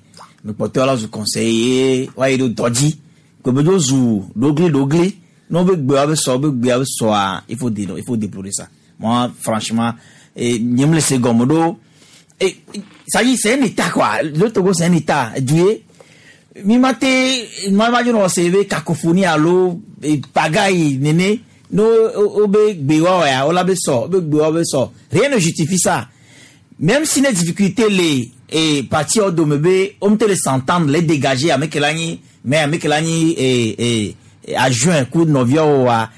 ame kpɔtɔewo la zu conseiller wa yi ɖo dɔ dzi ko be dzo zu ɖogli ɖogli ne wo be gbeawo be sɔ wo be gbeawo be sɔa il faut déno il faut déplorer ça moi franchement eh, nye me le se gɔme ɖo eh, ça y est c'est un état quoi le Togo c'est un état du ye mi ma te ma ma dzo nɔ se be cacophonie alo eh, pagaille nene No wo be gbe wa ya wo la be sɔ wo be gbe wa be sɔ rien ne justifie ça même si les difficultés les et parti wo dome be wo te le s'entendre les dégager ame ke la nyi mais ame ke la nyi et et adjoint ku nɔviawo wa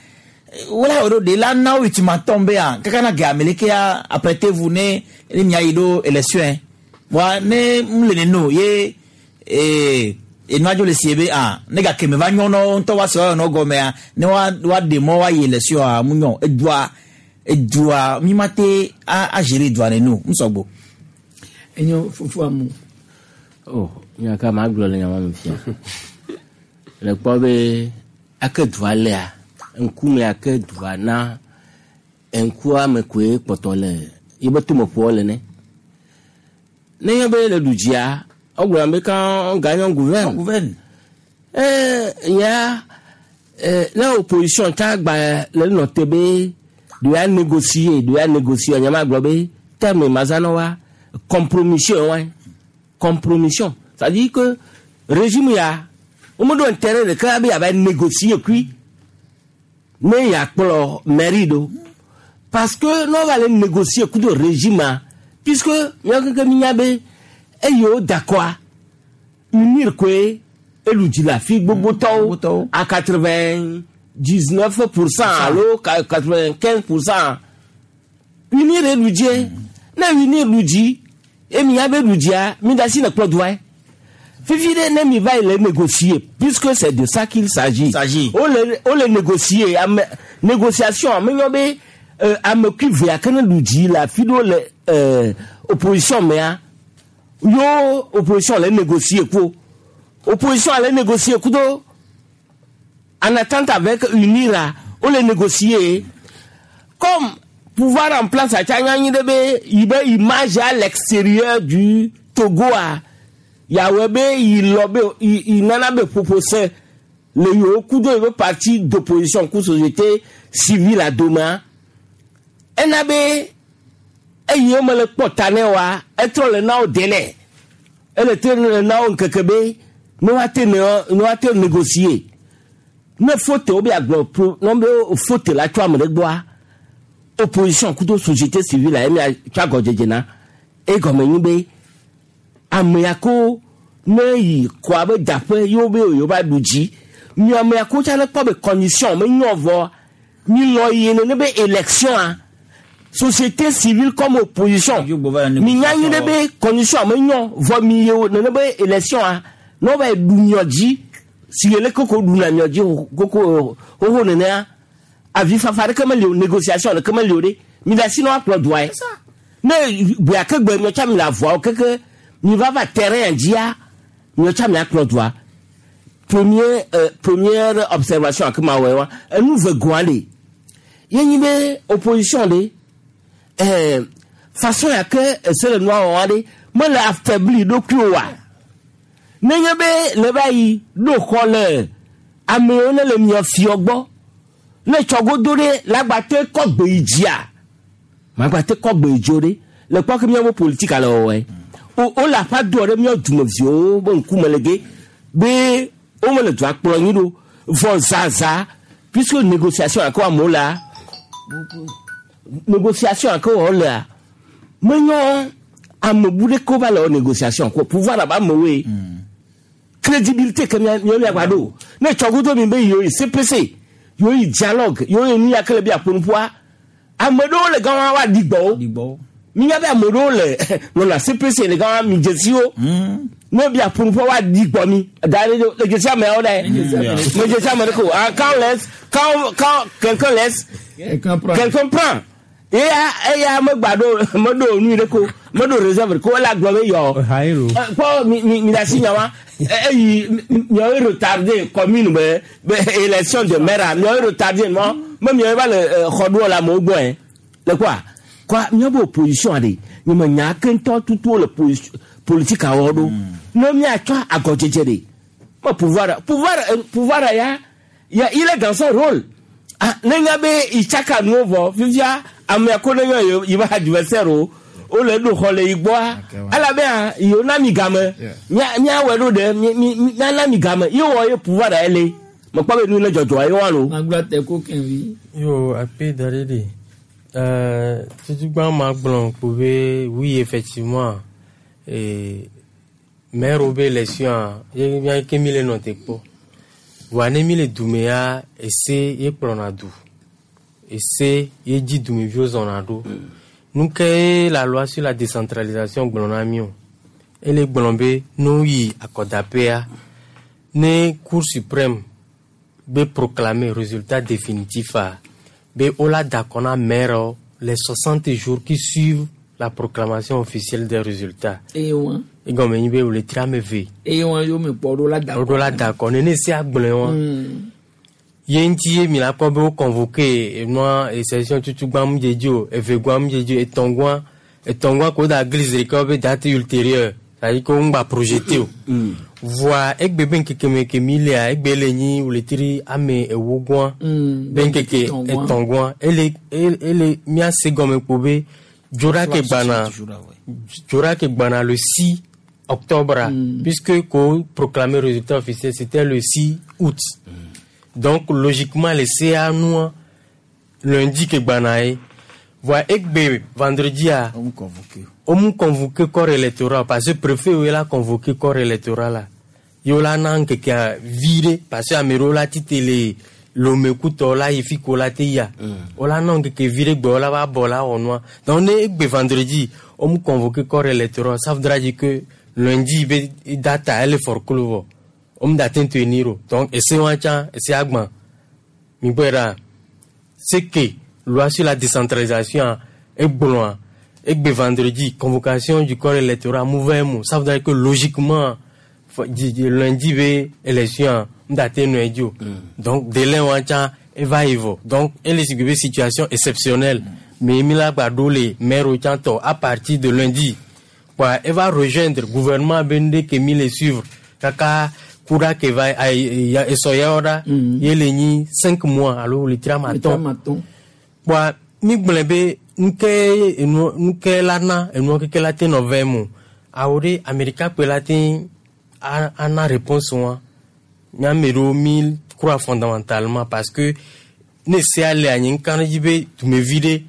wala o de la na ultimatum be yan kaka na gɛ ameleke ya apprêtez-vous ne ne mia yi ɖo élection wa ne m le neno ye ee enuadzo le sie be ah ne gake me va nyɔ nɔ ŋutɔ wa se wa nɔ gɔmea ne wa wa ɖe mɔ wa yi élection a mu nyɔ edua edua mi ma te a a gérer edua neno n sɔgbo. Enyo fufu amu. Oh, nya ka ma gblɔ le nya ma me fia. Le kpɔ be ake dua lea, ŋkume ake dua na ŋkua me koe kpɔtɔ le yebe tomeƒoa le ne. Ne nye be le du dzia, wogblɔna be quand on gagne on gouverne. On gouverne. Eh, nya eh, ne opposition ta gba le nɔ te be de ya négocier, de ya négocier, nya ma gblɔ be terme mazanɔ wa compromission wa compromission. C'est-à-dire que régime ya womeɖo intérêt ɖeka be yeava négocier kui ne yeakplɔ mairie ɖo parce que ne wova le négocier kudo régime ma puisque míawo kekem mínya be eye wo da kɔa unir koe elu dzi le afi gbogbotɔwo à quatre-vingt-dix-neuf pour cent alo quatre-vingt-quinze pour cent unir elu dzie ne unir lu dzi emi ya be lu dzia mi da si ne kplɔ dua ye fifi ɖe ne mi va yi le négocier puisque c'est de ça qu'il s'agit o le o le négocier ame négociation ame nyɔ be euh, ame kui vea ke ne lu dzi le afi ɖewo le euh, opposition mea yo opposition le négocier ko opposition ale négocier kudo en attente avec UNIRA o le négocier comme pouvoir en place a tsa nyanyi ɖe be yi be image à l'extérieur du Togo a yàwé be yi lɔ be yi yi nana be ƒoƒo se le yewo kudo yi be parti d'opposition ku société civile adoma ena be eyi wo me le kpɔ ta ne wa etrɔ le na wo délai ele te le na wo ŋkeke be ne wa te ne ne wa te négocier ne faute wo be agblɔ pro ne be faute la tso ame ɖe gbɔa opposition kudo société civile a emi tso agɔdzedze na egɔme nyi be ame ya ko ne yi kɔa be daƒe yewo be yewo va ɖu dzi mi ame ya ko tsa ne kpɔ be condition me nyɔ vɔ mi lɔ yi nene be élection a société civile comme opposition mi nya nyi ɖe be condition me nyɔ vɔ mi yewo nene be élection a ne wo va yi ɖu miɔ dzi si le koko ɖuna miɔ dzi koko xoxo nenea avi fafa ɖeke meli o négociation ɖeke meli o ɖe mi le asi ne woakplɔ dua ye ne gbe ke gbe miɔ tsa mi le avɔawo keke mi va va terrain dzia miɔ tsa mi akplɔ dua premier euh, première observation ake ma wɔ wa enu ve goa le ye nyi be opposition ɖe ɛɛ façon ya ke ese le nua wɔa ɖe mele affaibli ɖokui oa nenye be le va yi ɖo xɔ le amewo ne le miɔ fiɔ gbɔ ne tsɔgodo ɖe lagbate kɔ gbe yi dzia magbate kɔ gbe yi dzo ɖe le kpɔ ke miawo politique le wɔwɔe o o le aƒa doa ɖe miawo dumeviwo be ŋkume le ge be wo mele dua kplɔ nyi ɖo vɔ zaza puisque négociation ake amewo lea négociation ake wɔwɔ lea menyɔ ame bu ɖe ko va le wɔ négociation ko pouvoir abe amewoe crédibilité ke mia miawo miagba ɖo ne tsɔgodo mi be yewo yi CPC yewo yi dialogue yewo yi nu ya ke le bi aƒonuƒoa ame ɖewo le gama wa ɖi gbɔwo minya be ame ɖewo le nɔna CPC le gama mi dzesiwo ne bi aƒonuƒoa wa ɖi gbɔ mi da ɖe le dzesi ameawo ɖe me dzesi ame ɖe ko ah quand on laisse quand quand quelqu'un laisse quelqu'un prend quelqu'un prend eya eya megba ɖo meɖo nu ɖe ko meɖo réserve ko ele agblɔ be yɔ kpɔ mi mi mi da si nya wa eyi miawo retardé commune be be élection de maire miawo retardé mɔ me miawo va le xɔ ɖoɔ le amewo gbɔ yɛ le quoi quoi miawo be opposition ɖe nye me nya ke ŋutɔ tutu le politique awɔ ɖo ne miatsɔ agɔdzedze ɖe me pouvoir pouvoir pouvoir ya ya il est dans son rôle ah ne nya be itsaka nuwo vɔ fifia amea ko ne nyɔ yi va adversaire o wole ɖo xɔ le yi gbɔa elabena yewo na mi game mía míawɔe ɖo ɖe mi mi míana mi game ye wɔ ye pouvoir ya le Mekpɔ be nu le dzɔdzɔ ye wa lo. Magblɔ te ko kɛnvi. Yo, akpe da ɖe ɖe. Euh, tutugba ma gblɔ kpo be oui effectivement eh, maire be élection ye mía ke mi le nɔ te kpɔ. Voa ne mi le dume ya ese ye kplɔna du. Ese ye dzi dumeviwo zɔna ɖo. Nu ke ye la loi sur la décentralisation gblɔ na mi o. Ele gblɔ be ne woyi akɔdaƒea ne cour suprême be proclamer résultat définitif a be wola da akɔ na maire les soixante jours qui suivent la proclamation officielle des résultats. Eye wa. Egɔme nyi be wòle tri ame eve. Eye wa yome kpɔ ɖo la da. Woɖo la da akɔ nene se agblɔe wa. Mm. Ye ŋuti ye mi la kpɔ be wo convoqué enua session tutugbã mu dzedzi o, evegɔa mu dzedzi o, etɔ̃gɔa etɔ̃gɔa ko da glise ɖeka be date ultérieure c'est-à-dire que wo ŋgba projeté o. Voa egbe be ŋkeke me ke mi lea egbe le nyi wletri ame ewo gɔa Mm, be ŋkeke etɔ̃gɔa ele ele ele míase gɔme kpo be dzora ke gbana dzora ke gbana le six octobre puisque ko proclamer résultat officiel c'était le six août. Donc logiquement le C A nua lundi ke gbana ye voa egbe vendredi a wo mu convoqué corps électoral parce que préfet wo la convoqué corps électoral la ye wo la na ŋkekea vi ɖe parce que ame ɖewo la tite le lomekutɔ la yi fi ko la te yia wo la na ŋkeke vi ɖe gbe wo la va bɔ la wɔ nua. Donc ne egbe vendredi wo mu convoqué corps électoral, ça voudra dire que lundi be data ele forclos vɔ wo mu da te tenir o. Donc ese wa tsã ese agbã mi gbɔe ɖa c'est que loi sur la décentralisation egblɔa egbe vendredi convocation du corps électoral mouvement mu, ça veut dire que logiquement fɔ- di- di- lundi be élection mu da te nɔe dzi o. Donc délai wa tsã eva yi vɔ. Donc ele si be situation exceptionnelle mais mi la gba ɖo le maire tsã tɔ à partir de lundi quoi eva rejoindre gouvernement be nu ɖe ke mi le suivre kaka kura ke va ayi ya esɔ yawo ɖa ye le nyi cinq mois alo wletri ame atɔ̃. Atɔ̃. Kpoa mi gblɔe be nuke enu nuke la na enua keke la te nɔ vɛ mo awo ɖe amerika kpe la te a- ana réponse wa míame ɖewo mi croit fondamentalement parce que ne sea le anyi ŋka ɖe dzi be dumevi ɖe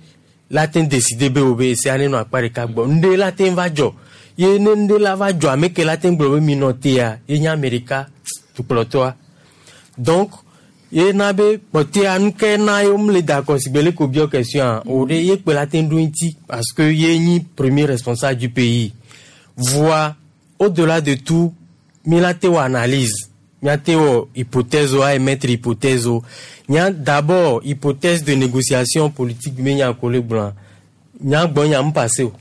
la te décider be wo be esea ne nɔ akpa ɖeka gbɔ ŋɖe la te va dzɔ ye ne ŋɖe la va dzɔ ame ke la te gblɔ be mi nɔ tea ye nye amerika dukplɔtɔa. Donc ye na be kpɔtɛa nuke na ye womle da akɔ si gbe le ko biɔ question o ɖe ye kpe la te ɖo ŋuti parce que ye nyi premier responsable du pays. Voa au-delà de tout mi la te wɔ analyse miate wɔ hypothèse o a émettre hypothèse o nya d'abord hypothèse de négociation politique mi nya ko le gblɔa nya gbɔ nya mu passé o.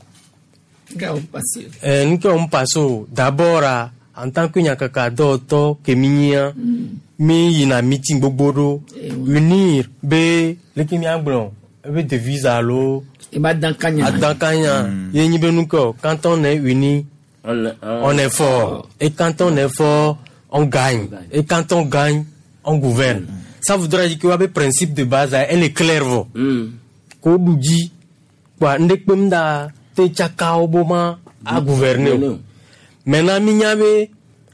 Ga o passé. Eh, nu ke wo passe o d'abord a en tant que nyakaka dɔwɔtɔ ke mi nyia mi yina meeting gbogbo ɖo unir be leke miagblɔ ebe devise alo Eba dankanya. adankanya ye nyi be nu ke o quand on est uni on est fort et quand on est fort on gagne et quand on gagne on gouverne. Ça voudrait dire que wabe principe de base a, elle est claire vɔ ko ɖu dzi kpoa ŋɖe kpem da te tsaka wo bo ma a gouverner o. Maintenant mi nya be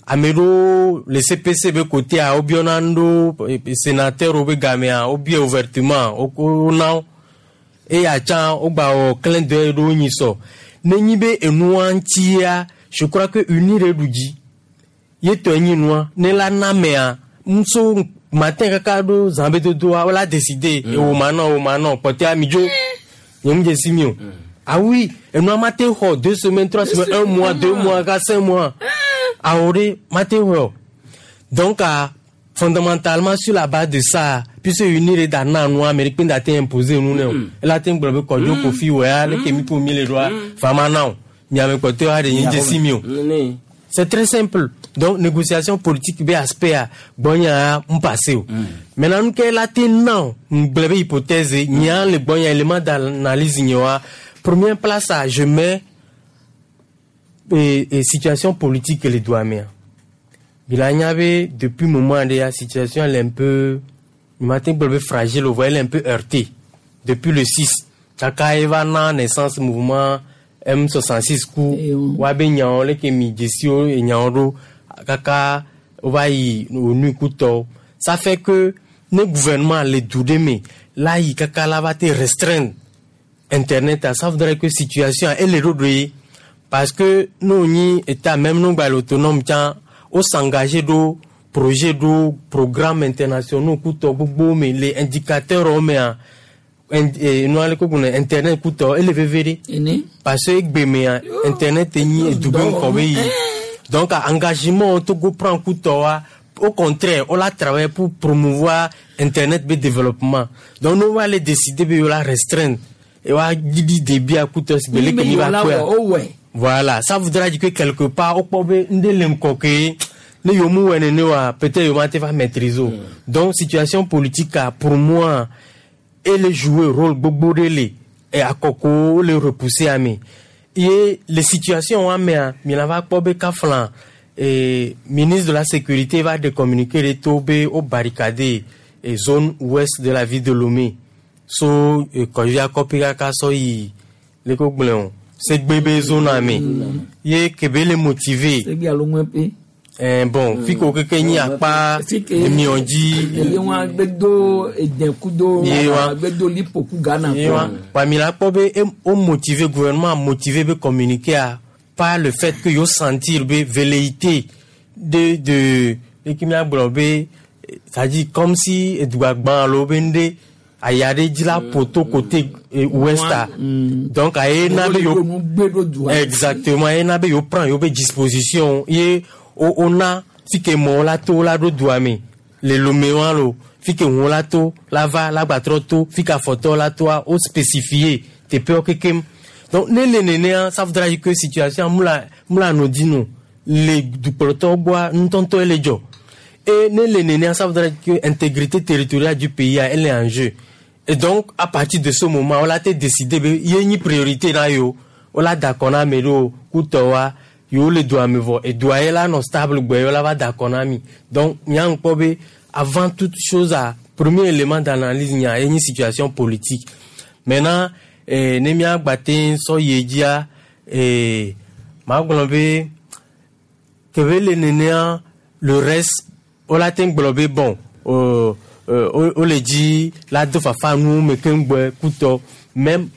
ame ɖewo le C P C be côté a wobiɔna nu ɖo eh, sénateur wo be gamea wobia ouvertement wo wona wo eya tsã wogba wɔ clin d'œil ɖewo nyi sɔ ne nyi be enua ŋutia je crois que uni ɖe ɖu dzi ye tɔ nyi nua ne la na mea nso matin kaka ɖo zã be dodoa wola décider ewo ma nɔ ewo ma nɔ kpɔtɛa mi dzo nye mu dze si mi o. Ah oui, enua ma te xɔ deux semaines, trois semaines, un mois, deux mois, quatre, cinq mois awo ɖe ma te xɔ o. Donc ah, fondamentalement sur la base de ça puisque uni ɖe da na nua ame ɖe kpe da te imposer nu ne o ela te gblɔ be kɔdzo kofi wɔ ya leke mi ko mi le ɖoa fama na o miame kpɔtɔa ɖe nye dze si mi o. C'est très simple. Donc négociation politique be aspect a gbɔnya n passé o. Maintenant nu ke la te na o ngblɔ be hypothèse nya le gbɔnya élément d'analyse nye wa première place a je mets et, et situation politique le doit mea. Bila nya be depuis moment de la situation elle est un peu matin gblɔ be fragile o, elle est un peu heurtée depuis le six kaka eva na naissance mouvement M soixante-six ku wa be nyawo leke mi dzesiwo enyawo ɖo kaka wova yi onu kutɔ. Ça fait que ne gouvernement le du ɖe me la yi kaka la va te restreindre internet a, ça voudrait que situation ele ɖoɖo ye parce que n'o nyi état même n'o gba le autonome tsã o s'engager ɖo projet ɖo programme internationaux kutɔ gbogbo me le indicateur wo mea in- eh, nua le ko gblɔ internet kutɔ ele veve ɖe Ene. parce que egbe mea internet nyi edugbe ŋkɔ be yi donc engagement Togo prend kutɔ wa au contraire on la travaillé pour promouvoir internet be développement donc nous va aller décider be la restreindre et wa didi débit à kutɔ si bele ke mi va kɔya voilà ça voudra dire que quelque part au kpɔ be nde le ŋkɔ ke ne yomu wɔ nene wa peut-être yoma te va maîtriser o donc situation politique a pour moi ele jouer rôle gbogbo ɖe le e akɔko le repousser ame ye le situation wa mea mina va kpɔ be kafla e ministre de la sécurité va de communiquer ɖe to be o barricade e zone ouest de la ville de Lomé so e kɔdzi akɔpi kaka sɔ yi le ko gblẽ o segbe be zone ame ye kebe le motivé Segbe alo ŋue pe. eh, bon fi ko keke nyi akpa emiɔ dzi Eye wọn gbedo edekudo Ye wa. gbedo lipoku Ghana. Ye wa. Wa mi la kpɔ be em- o motivé gouvernement a motivé be communiquer a par le fait que yo sentir be velléité de de de ki mia gblɔ be c'est-à-dire comme si edua gbã alo be ŋɖe aya ɖe dzi la poto côté eh, ouest a donc aye na be yo exactement ye na be yo prend yo be disposition ye o o na fi ke mɔ la to la ɖo dua me le Lomé wa lo fi ke ŋu la to la va la gbatrɔ to fi ke afɔtɔ la toa o spécifié teƒewo kekem donc ne le nenea ça voudra dire que situation mu la mu la nɔ dzi no le dukplɔtɔwo gbɔa ŋutɔŋutɔe le dzɔ et ne le nenea ça voudra dire que intégrité territoriale du pays a elle est en jeu et donc à partir de ce moment on la te décidé be ye nyi priorité na yo o la da kɔ na ame ɖewo kutɔ wa yewo le dua me vɔ edua ye la nɔ stable gbɔ ye la va da kɔ na mi donc mía ŋkpɔ be avant toute chose a premier élément d'analyse nya ye nyi situation politique maintenant eh, ne mía gba te sɔ yi dzia eh, maa gblɔ be kebe le nenea le reste o la te gblɔ be bon euh, euh, o o le dzi la do fafa nuwo me keŋ gbɔe kutɔ même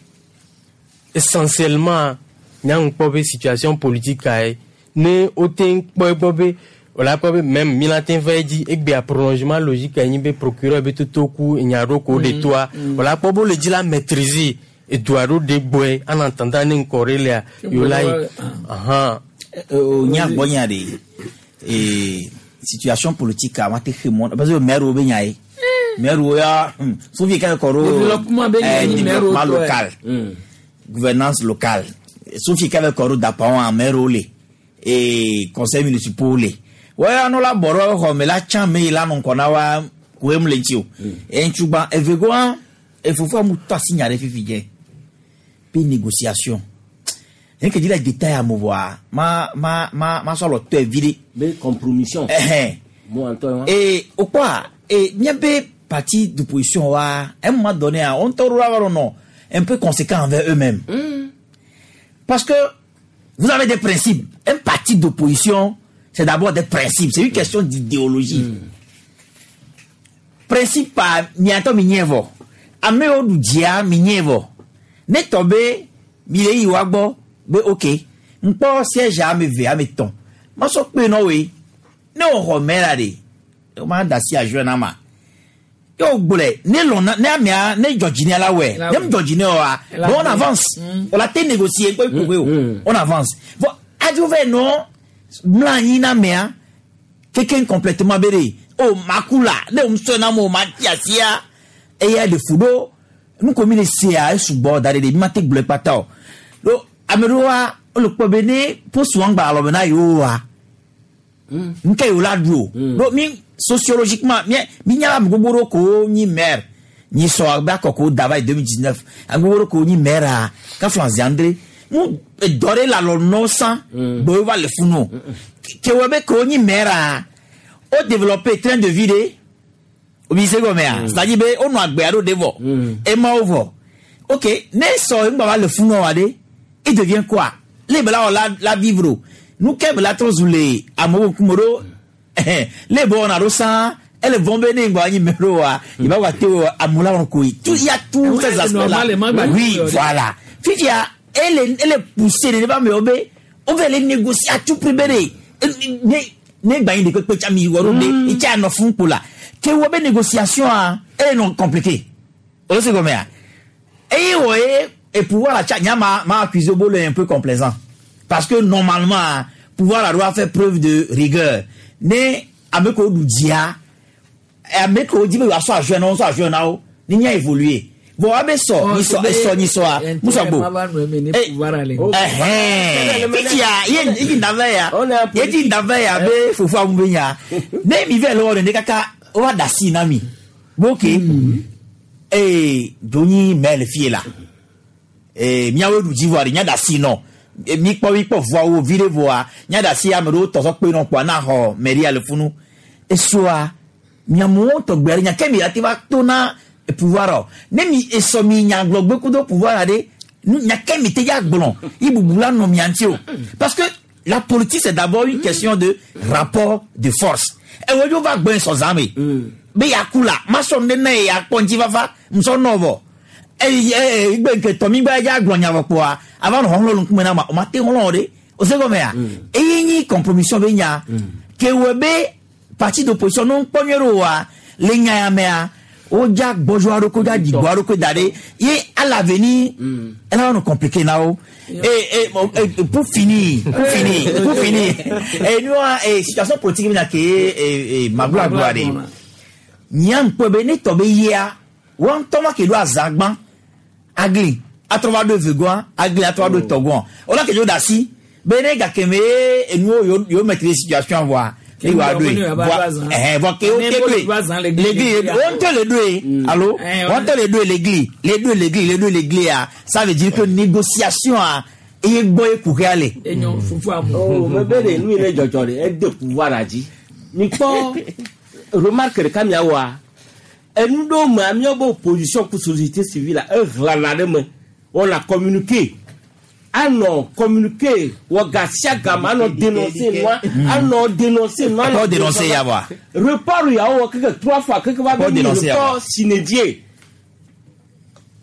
essentiellement mía ŋkpɔ be situation politique ka ye ne o te kpɔ egbɔ be o la kpɔ be même mi la te va edzi egbea prolongement logique ye nyi be procureur be toto ku enya ɖo ko ɖe toa o la kpɔ be o le dzi la maîtriser edua ɖo ɖe gbɔe en attendant ne ŋkɔ ɖe lea yewo la yi ahan. nya gbɔ nya de ee situation politique a ma te xe mɔ parce que maire wo be nya ye maire wo ya hmm, sofi ka kɔ ɖo Développement be nya eh, nyi maire wo développement tɔ ye. local gouvernance locale sofi ka bɛ kɔ ɖo dapawo a maire wo le ee conseil municipal wo le wɔya no la bɔ ɖo xɔ me la tsã me yi la nɔ ŋkɔ na wa koe mu le ŋuti o eŋutsugba evegoa efofoa mu tɔ asi nya ɖe fifi dze pe négociation ne ke dzi le détail ame voa ma ma ma ma sɔ lɔ tɔe vi ɖe. be compromission. Ɛhɛn. Mo ŋutɔ wa. Et au quoi Et miabe parti d'opposition wa à un moment donné on ŋutɔ ɖo la va nɔ un peu conséquent envers eux-mêmes. Parce que vous avez des principes. Un parti d'opposition, c'est d'abord des principes. C'est une question d'idéologie. Principe pa miatɔ mi nye vɔ. Amewo ɖu dzia mi nye vɔ. Ne tɔ be mi le yi wa gbɔ be ok ŋkpɔ siège ame eve ame etɔ̃ masɔ kpe nɔ woe ne wò xɔ mɛ la de o ma da si ajoe na ma ye o gblɔe ne lɔna ne amea ne dzɔdzi la wɛ ne mu dzɔdzi ne oa bon on avance on la te négocier kpe kpe o on avance bon adzo vɛ nɔ mla anyi na amea keke complètement be de o maku la ne o sɔ na mo ma ti asia eya de fu ɖo nu ko mi le sea esugbɔ da ɖe de mi ma te gblɔe kpata o ɖo ame ɖewoa wole kpɔ be ne post wɔn gba alɔme na yewo wa nke yewo la ɖu o ɖo mi sociologiquement mi mi nya ame gbogbo ɖewo ko nyi maire nyi sɔ abe akɔ ko da va yi deux mille dix neuf ame gbogbo ɖewo ko nyi maire a kafla ziandre mu dɔ ɖe le alɔ nɔ san gbɔ va le funu o kewɔ be ko nyi maire a o développer train de vie de omi se gɔmɛ a c'est à dire be o nɔ agbe aɖo de vɔ ema wo vɔ ok ne sɔ ŋgbà va le funu wa de il devient quoi le bela wɔ la la vivre o nu ke bela trɔ zu le amewo ŋkume ɖo le bɔ wɔna ɖo sã Elle vont venir ngba nyi mero wa il va wa te amula on koi tout il y a tout ces aspects là. Oui, voilà. Fifia elle elle est poussée ne va me obé on veut les négocier à tout prix bere ne ne gba yin de pe pe mi woro de e cha no fun po la ke wo be négociation a elle non compliqué. O se comme ya et ouais et pouvoir la cha ma m'a accusé bolo un peu complaisant parce que normalement pouvoir la doit faire preuve de rigueur ne ameko du dia ameko di be wa so ajo na so ajo na o ni nya évoluer bon abe so ni so so ni so a muso bo eh eh fitia ye ye ndava ya ye ti ndava ya be fufu amu be nya ne mi ve lo ne kaka o wa da si na mi ok eh doni mel fie la eh miawo du jivoire nya da si no mi kpɔ mi kpɔ voa wo vi ɖe voa nya da si ame ɖewo tɔsɔ kpe nɔ kpoa na xɔ mairie le funu esoa miamewo tɔgbe aɖe nya ke mi ate va to na pouvoir o ne mi esɔ mi nyagblɔgbe kudo pouvoir aɖe nya ke mi te ya gblɔ yi bubu la nɔ mia ŋuti o parce que la politique c'est d'abord une question de rapport de force ewɔ dzo va gbɔn sɔzã me be yaku la ma sɔ ne ne ya kpɔ ŋuti fafa musɔ nɔ vɔ eye eye igbe nke tɔmi gba dza gblɔ nya vɔ kpoa ava nɔ xɔxlɔ ŋkume na ma o ma te xɔlɔ ɖe o se gɔme ya eye nyi compromission be nya ke wɔ be parti d'opposition no ŋkpɔ nyuie ɖo wa le nya ya mea o dza gbɔdzɔ aɖo ko dza dzigbɔ aɖo ko da ɖe ye à l'avenir ela va nɔ compliqué na wo et et pour finir pour finir pour finir et nous et situation politique mi na ke e magblɔagblɔa ɖe nya ŋkpɔ be ne tɔ be yia wɔn ŋutɔ ma ke ɖo azãgbã agli atrɔ va ɖo evegɔa agli atrɔ va ɖo etɔgɔa wòle ke dzo da asi be ne gake me enuwo yewo yewo maîtriser situation voa ne wa ɖoe voa ɛhɛn voa ke wo te ɖoe l'église wɔn ŋutɔ le ɖoe alo wɔn ŋutɔ le ɖoe l'église le ɖoe l'église le ɖoe l'église a ça veut dire que négociation a eye gbɔ ye kuxia le. enyo fufu amu. o mɛ bɛ de nu yi ne dzɔdzɔ de ede pouvoir la dzi mi kpɔ remarque ɖeka miawɔa enu ɖewo mea míawo opposition ku société civile ehlana ɖe me wɔna communiqué anɔ communiqué wɔ gasia game anɔ dénoncer nua anɔ dénoncer nua. Kɔ dénoncer ya wa. Report yawo wɔ keke trois fois keke va be mi report sine die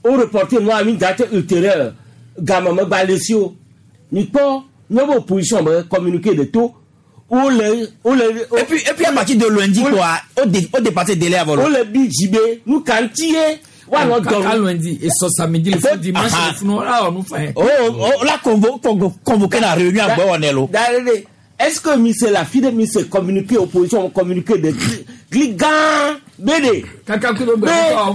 o reporté nua mi date ultérieure game megba le si o mi kpɔ míawo opposition be communiqué de to. Ole, ole, et puis, et puis à partir de lundi, quoi, au, dé, au dépassé délai avant. Ole bi jibé, nous cantier, wa no kaka lundi et so samedi le fou dimanche le fou non là on nous fait. Oh, oh, là convo, convo, convoqué la réunion à Bonello. Est-ce que monsieur la fille de monsieur communiqué opposition communiqué de gligan bébé. Kaka kudo be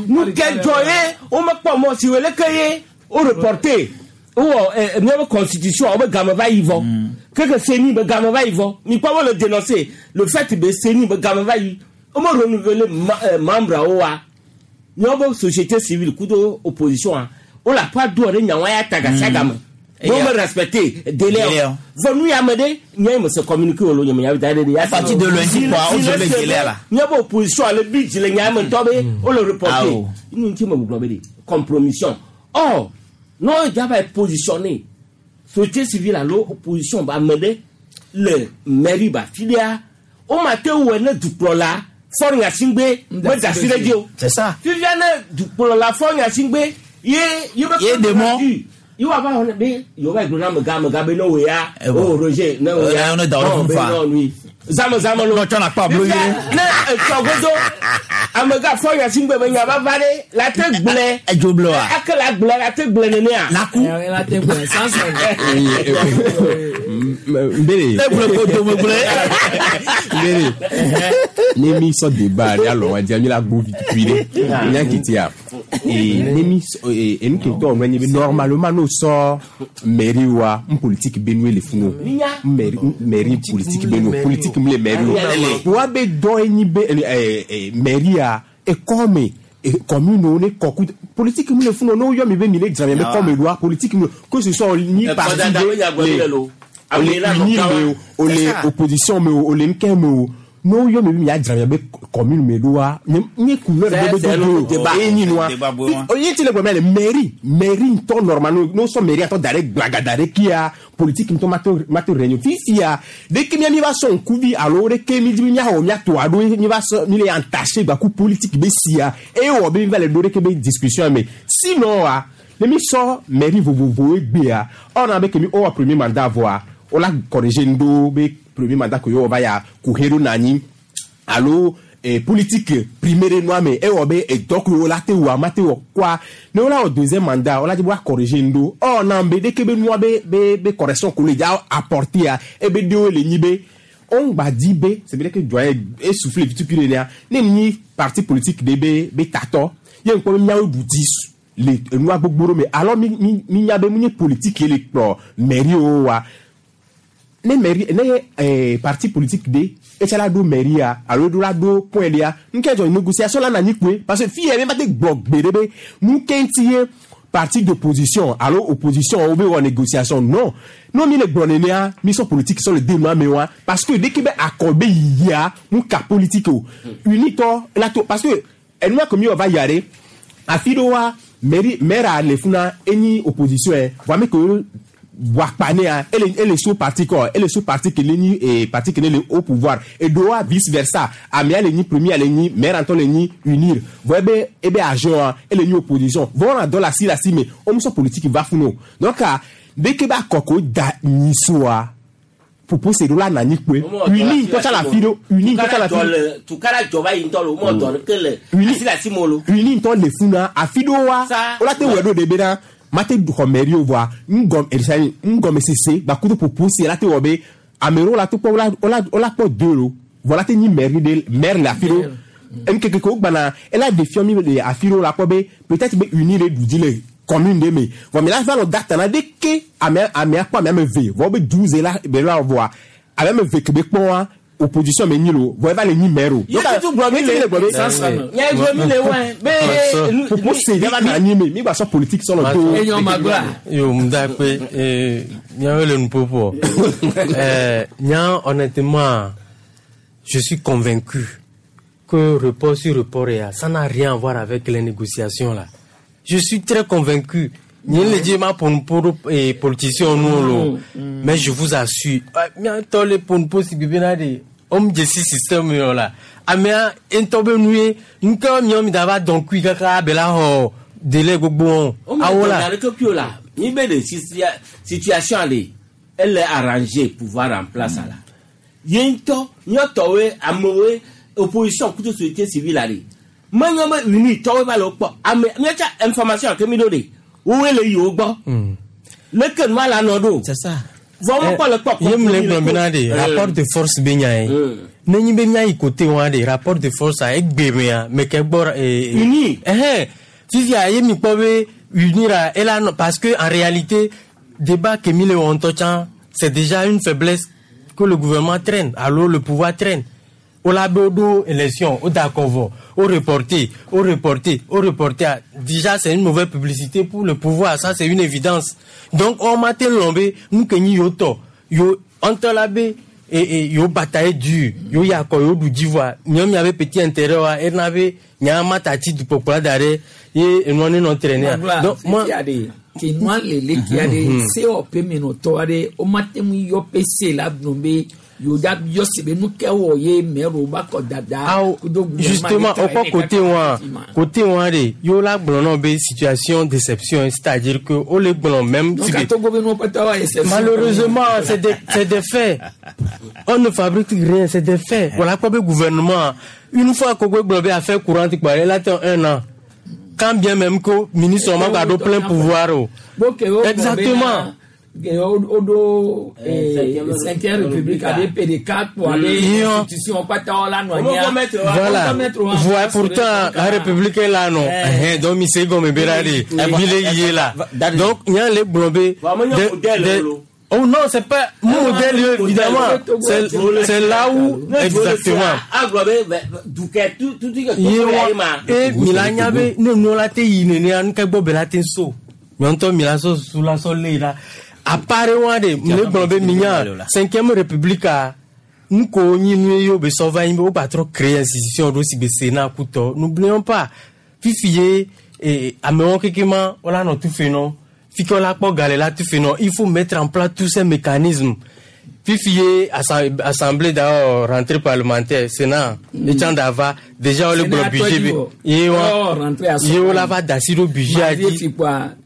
nous quel joyeux, on me pas moi si le cahier, on reporté. Ou euh constitution on game va y vont. Que CENI be game va y vont. Mi pas le dénoncer le fait be CENI be game va y. On m'a renouveler membre owa. Ni société civile kudo opposition on l'a pas droit de nyawa ya taga sagame. Bon me respecter délai. Venu ya mede nya me se communiquer lo nya ya délai ya partir de lundi quoi on se le délai là. Nya be opposition le but le nya me tobe on le reporter. Ni nti me gblɔ be compromission. Or non, il va positionner. Société civile à l'opposition va mener le mairie va filer. Au matin où elle est du là, fort Nyasingbe, mais c'est ça. Tu viens du là, fort Nyasingbe, il y a des mots. Il va avoir il va avoir un gars, no ya, oh Roger, non ya, on est dans le non lui. Zama zama lo. Non, tu n'as pas bleu. Ne, tɔgodo, amega fɔ yasigbe be nya va va ɖe la te gblẽ. Edzo blɔ wa. Ake la gblẽ la te gblẽ nenea. La ku. La te gblẽ sansan. Mbele. Ne gblẽ ko dome gblẽ. Mbele. Ne mi sɔ débat ɖe alɔ wa dia mi la gbo vitui ɖe. Nya kitia. Et ne mi et nu ke tɔ nɔ nye be normalement n'o sɔ mairie wa n politique be nu le funu. Mairie mairie politique be nu politique mi le mairie o. Wa be dɔ enyi be eh mairie a ekɔme commune ne kɔku politique mi le funu n'o yɔ mi be mi le dzra mi be kɔme doa politique mi que ce soit ni parti de le ole uni me o ole opposition me o ole nkɛ me o No yo mi mi adzra mi be commune me doa nye couleur be do do e nyi noa oye ti le gbe le mairie mairie ntɔ normal no so mairie atɔ da ɖe gbagada ɖe kia politique ntɔ mato mato réunion fifia de ke mi mi va sɔn kuvi alo de ke mi di mi miaxɔ miato alo mi va sɔ mi le entaché gbaku politique be sia eye wɔ be mi va le do ɖe ke be discussion me sinon wa ne mi sɔ mairie vovovowo gbea ɔna be ke mi wɔ premier mandat vɔa wola corriger ŋdo be premier mandat ko yo va ya kuhero nani alo eh, politique primaire noa me e wo be edɔ ko la te wa ma te wo kwa ne wola wɔ deuxième mandat wola di wa corriger ŋdo ɔ na be de ke be noa be be be correction ko le dza apporter ya e be de wo le nyi be on gba di be c'est vrai que doyen essoufflé vitu ne ya ne nyi parti politique de be be tatɔ ye nkpɔ be miawo du di le enua gbogbo ɖo me alors mi mi mi nya be mu nye politique ye le kplɔ mairie wo wa ne mairie ne eh, parti politique de etsa la do mairie ya alo do la do point de ya nke dzɔ négociation la na nyi kpoe parce que fi yɛ mi ma te gbɔ gbe ɖe be nu ke ŋuti ye parti d'opposition alo opposition wo be wɔ négociation non no mi le gblɔ nenea mi sɔ politique sɔ le de nua me wa parce que dès que be akɔ be yiyia nu ka politique o unitɔ la to parce que enua ko mi wɔ va yia ɖe afi ɖewoa mairie maire a le funa enyi opposition yɛ voa mi ko wakpanea ele ele so parti kɔ ele so parti kele nyi eh, parti kele le au pouvoir edoa vice versa amea le nyi premier le nyi maire antɔ le nyi unir vɔ ebe ebe agent wa ele nyi opposition vɔ wɔna dɔ la si la si me omusɔ politique va funu o donc a dès que ba kɔ ko da nyisoa propose do la na nyi kpoe uni ntɔtsa la fi do uni ntɔtsa la fi do tukara jɔba yi ŋutɔ le o mɔ dɔ ke le asi le asi mo lo. uni ntɔ le funa afi do wa wola te wɔ ɖo de bena mate xɔ mairie o voa ŋgɔm erisani ŋgɔme sese gbakudo propose la te wɔ be ame ɖewo la te kpɔ wola wola wola kpɔ deux lo vɔ la te nyi mairie de maire le afi ɖo nkeke ke wo gbana ela défiant mi le afi ɖewo la kpɔ be peut-être be uni le du dzi le commune de me vɔ mi la va lɔ data na de ke ame amea kpɔ ame ame ve vɔ be douze la be la voa ame ame ve ke be kpɔ wa opposition me nyi lo vɔ eva le nyi maire o. Ye tutu gblɔ mi le nya gblɔ mi le wɛ be. propose ya va na anyi me mi gba sɔ politique sɔ lɔ do. Enyo magla. Yo, m'dakpe, eh, nya le nupopo. Euh, nya, honnêtement, je suis convaincu que report sur report, eh, ça n'a rien à voir avec les négociations là. Je suis très convaincu. Ni le dit ma pour pour et politicien nous lo. Mais je vous assure, mi to le pour pour si bibina de homme de si système yo là. Amea entobe nuye, nka mi mi dava donc kui kaka bela ho délai gbogbo O ma awola. dɔ ke la ni be le situa- situation le ele arranger pouvoir en place la ye ŋutɔ nyɔtɔwoe amewoe opposition kuto société civile la de menyɔ be uni tɔwoe va le wo kpɔ ame miatsa information ke mi ɖo de wowoe le yi wo gbɔ leke nua la nɔ ɖo vɔ wo kpɔ le kpɔ ye mu le gblɔ bena de rapport de force be nya ye ne nyi be mía yi côté wa de rapport de force a egbe mea me ke gbɔ eh, Uni. ɛhɛn fifia ye mi kpɔ be unira ela nɔ parce que en réalité débat ke mi le wɔ ŋutɔ tsã c'est déjà une faiblesse que le gouvernement traîne alors le pouvoir traîne o la be o ɖo élection o da kɔ vɔ o reporté o reporté o reporté ah, déjà c'est une mauvaise publicité pour le pouvoir ça c'est une évidence donc on ma te lɔn be nu ke nyi yo tɔ yo ŋutɔ la be e e yo bataille dur yo yakɔ yo ɖu dzi voa miɔ miabe petit intérêt wa ena be nya ma ta ti dukpɔkplɔ da ɖe ye enua ne nɔ traîner Magla, donc moi fifia de ke nua le leke aɖe Mhm. sewɔƒe menɔtɔ aɖe womate ŋu yɔ ƒe se la gblɔ be yewo da yɔ si be nu ke wɔ ye mɛro ba kɔ dada kudo gouvernement justement ɖe au tra- côté wa côté wa de yo la gblɔ nɔ be situation déception c'est-à-dire que o le gblɔ même Donc si a be Togo be nuwo katã wa exception. Malheureusement, c'est des, c'est des faits. On ne fabrique rien, c'est des faits. Voilà quoi le gouvernement. Une fois que le affaire courante, quoi, elle attend un an. Quand bien même que le ministre a plein pouvoir. oh. Bo ke wo gblɔ Exactement. bena, ke wo wo ɖo eh, cinquième république abe P D quatre kpo abe Iyo. institution katã wo la nɔ anyia. Voilà. Wo mettre wa- Voilà, pourtant, la République est là, non. Eh, Donc, mi se gomme berade. Mi le yé là. Donc, il y a les blombés. Oh non, c'est pas mon modèle, évidemment. C'est c'est là où, exactement. agblɔ be be- dukɛ tu tu tu ke ye togo ya wa ye ma. e mila nya be ne nu la te yi nenea nu ke gbɔ be la te so nyɔntɔ mila sɔ su la sɔ le la apare wa de ne gblɔ be mi nya cinquième république a Nu ko nyi nu ye be sɔ va nyi be wo gba trɔ créer institution ɖo si be Sénat kutɔ. N'oublions pas, fifi ye eh, amewo keke ma wola nɔ tu fe nɔ. Fi ke wola kpɔ ga le la tu fe nɔ. Il faut mettre en place tous ces mécanismes. Fifi ye assem- assemblée d'ailleurs rentrée parlementaire Sénat mm. etsã dava déjà wole gblɔ budget be ye wa ye wola va da asi ɖo budget a dzi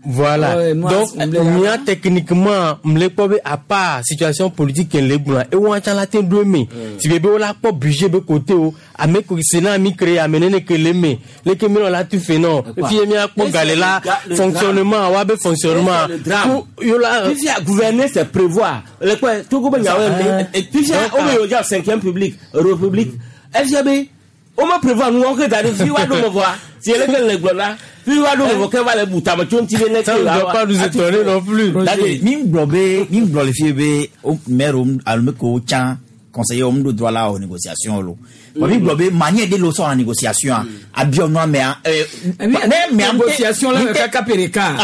voilà donc mía techniquement mle kpɔ be à part situation politique ke le gblɔa ewa tsã la te ɖo eme si be be wola kpɔ budget be côté o ame ko Sénat mi créé ame nene ke le eme leke mi nɔ la tu fe nɔ fi ye mía kpɔ ga le la fonctionnement wa be fonctionnement pour yola. Fifia gouverner c'est prévoir le kpɛ Togo be nyawo ye fifia wo be yewo dza cinquième public république efia be wo me prévoir nu wɔn ke da ɖe fi wa ɖo me vɔa si ele ke le gblɔ la fi wa ɖo me vɔ ke va le bu tame tso ŋuti be ne Ça ne doit pas nous étonner non plus. Mi gblɔ be mi gblɔ le fie be o maire alo me ko tsã conseiller wo ŋu ɖo droit la o négociation lo. Bon mi gblɔ be manière de lo sɔ na négociation a abiɔ nua mea. Ne négociation la kaka pereka.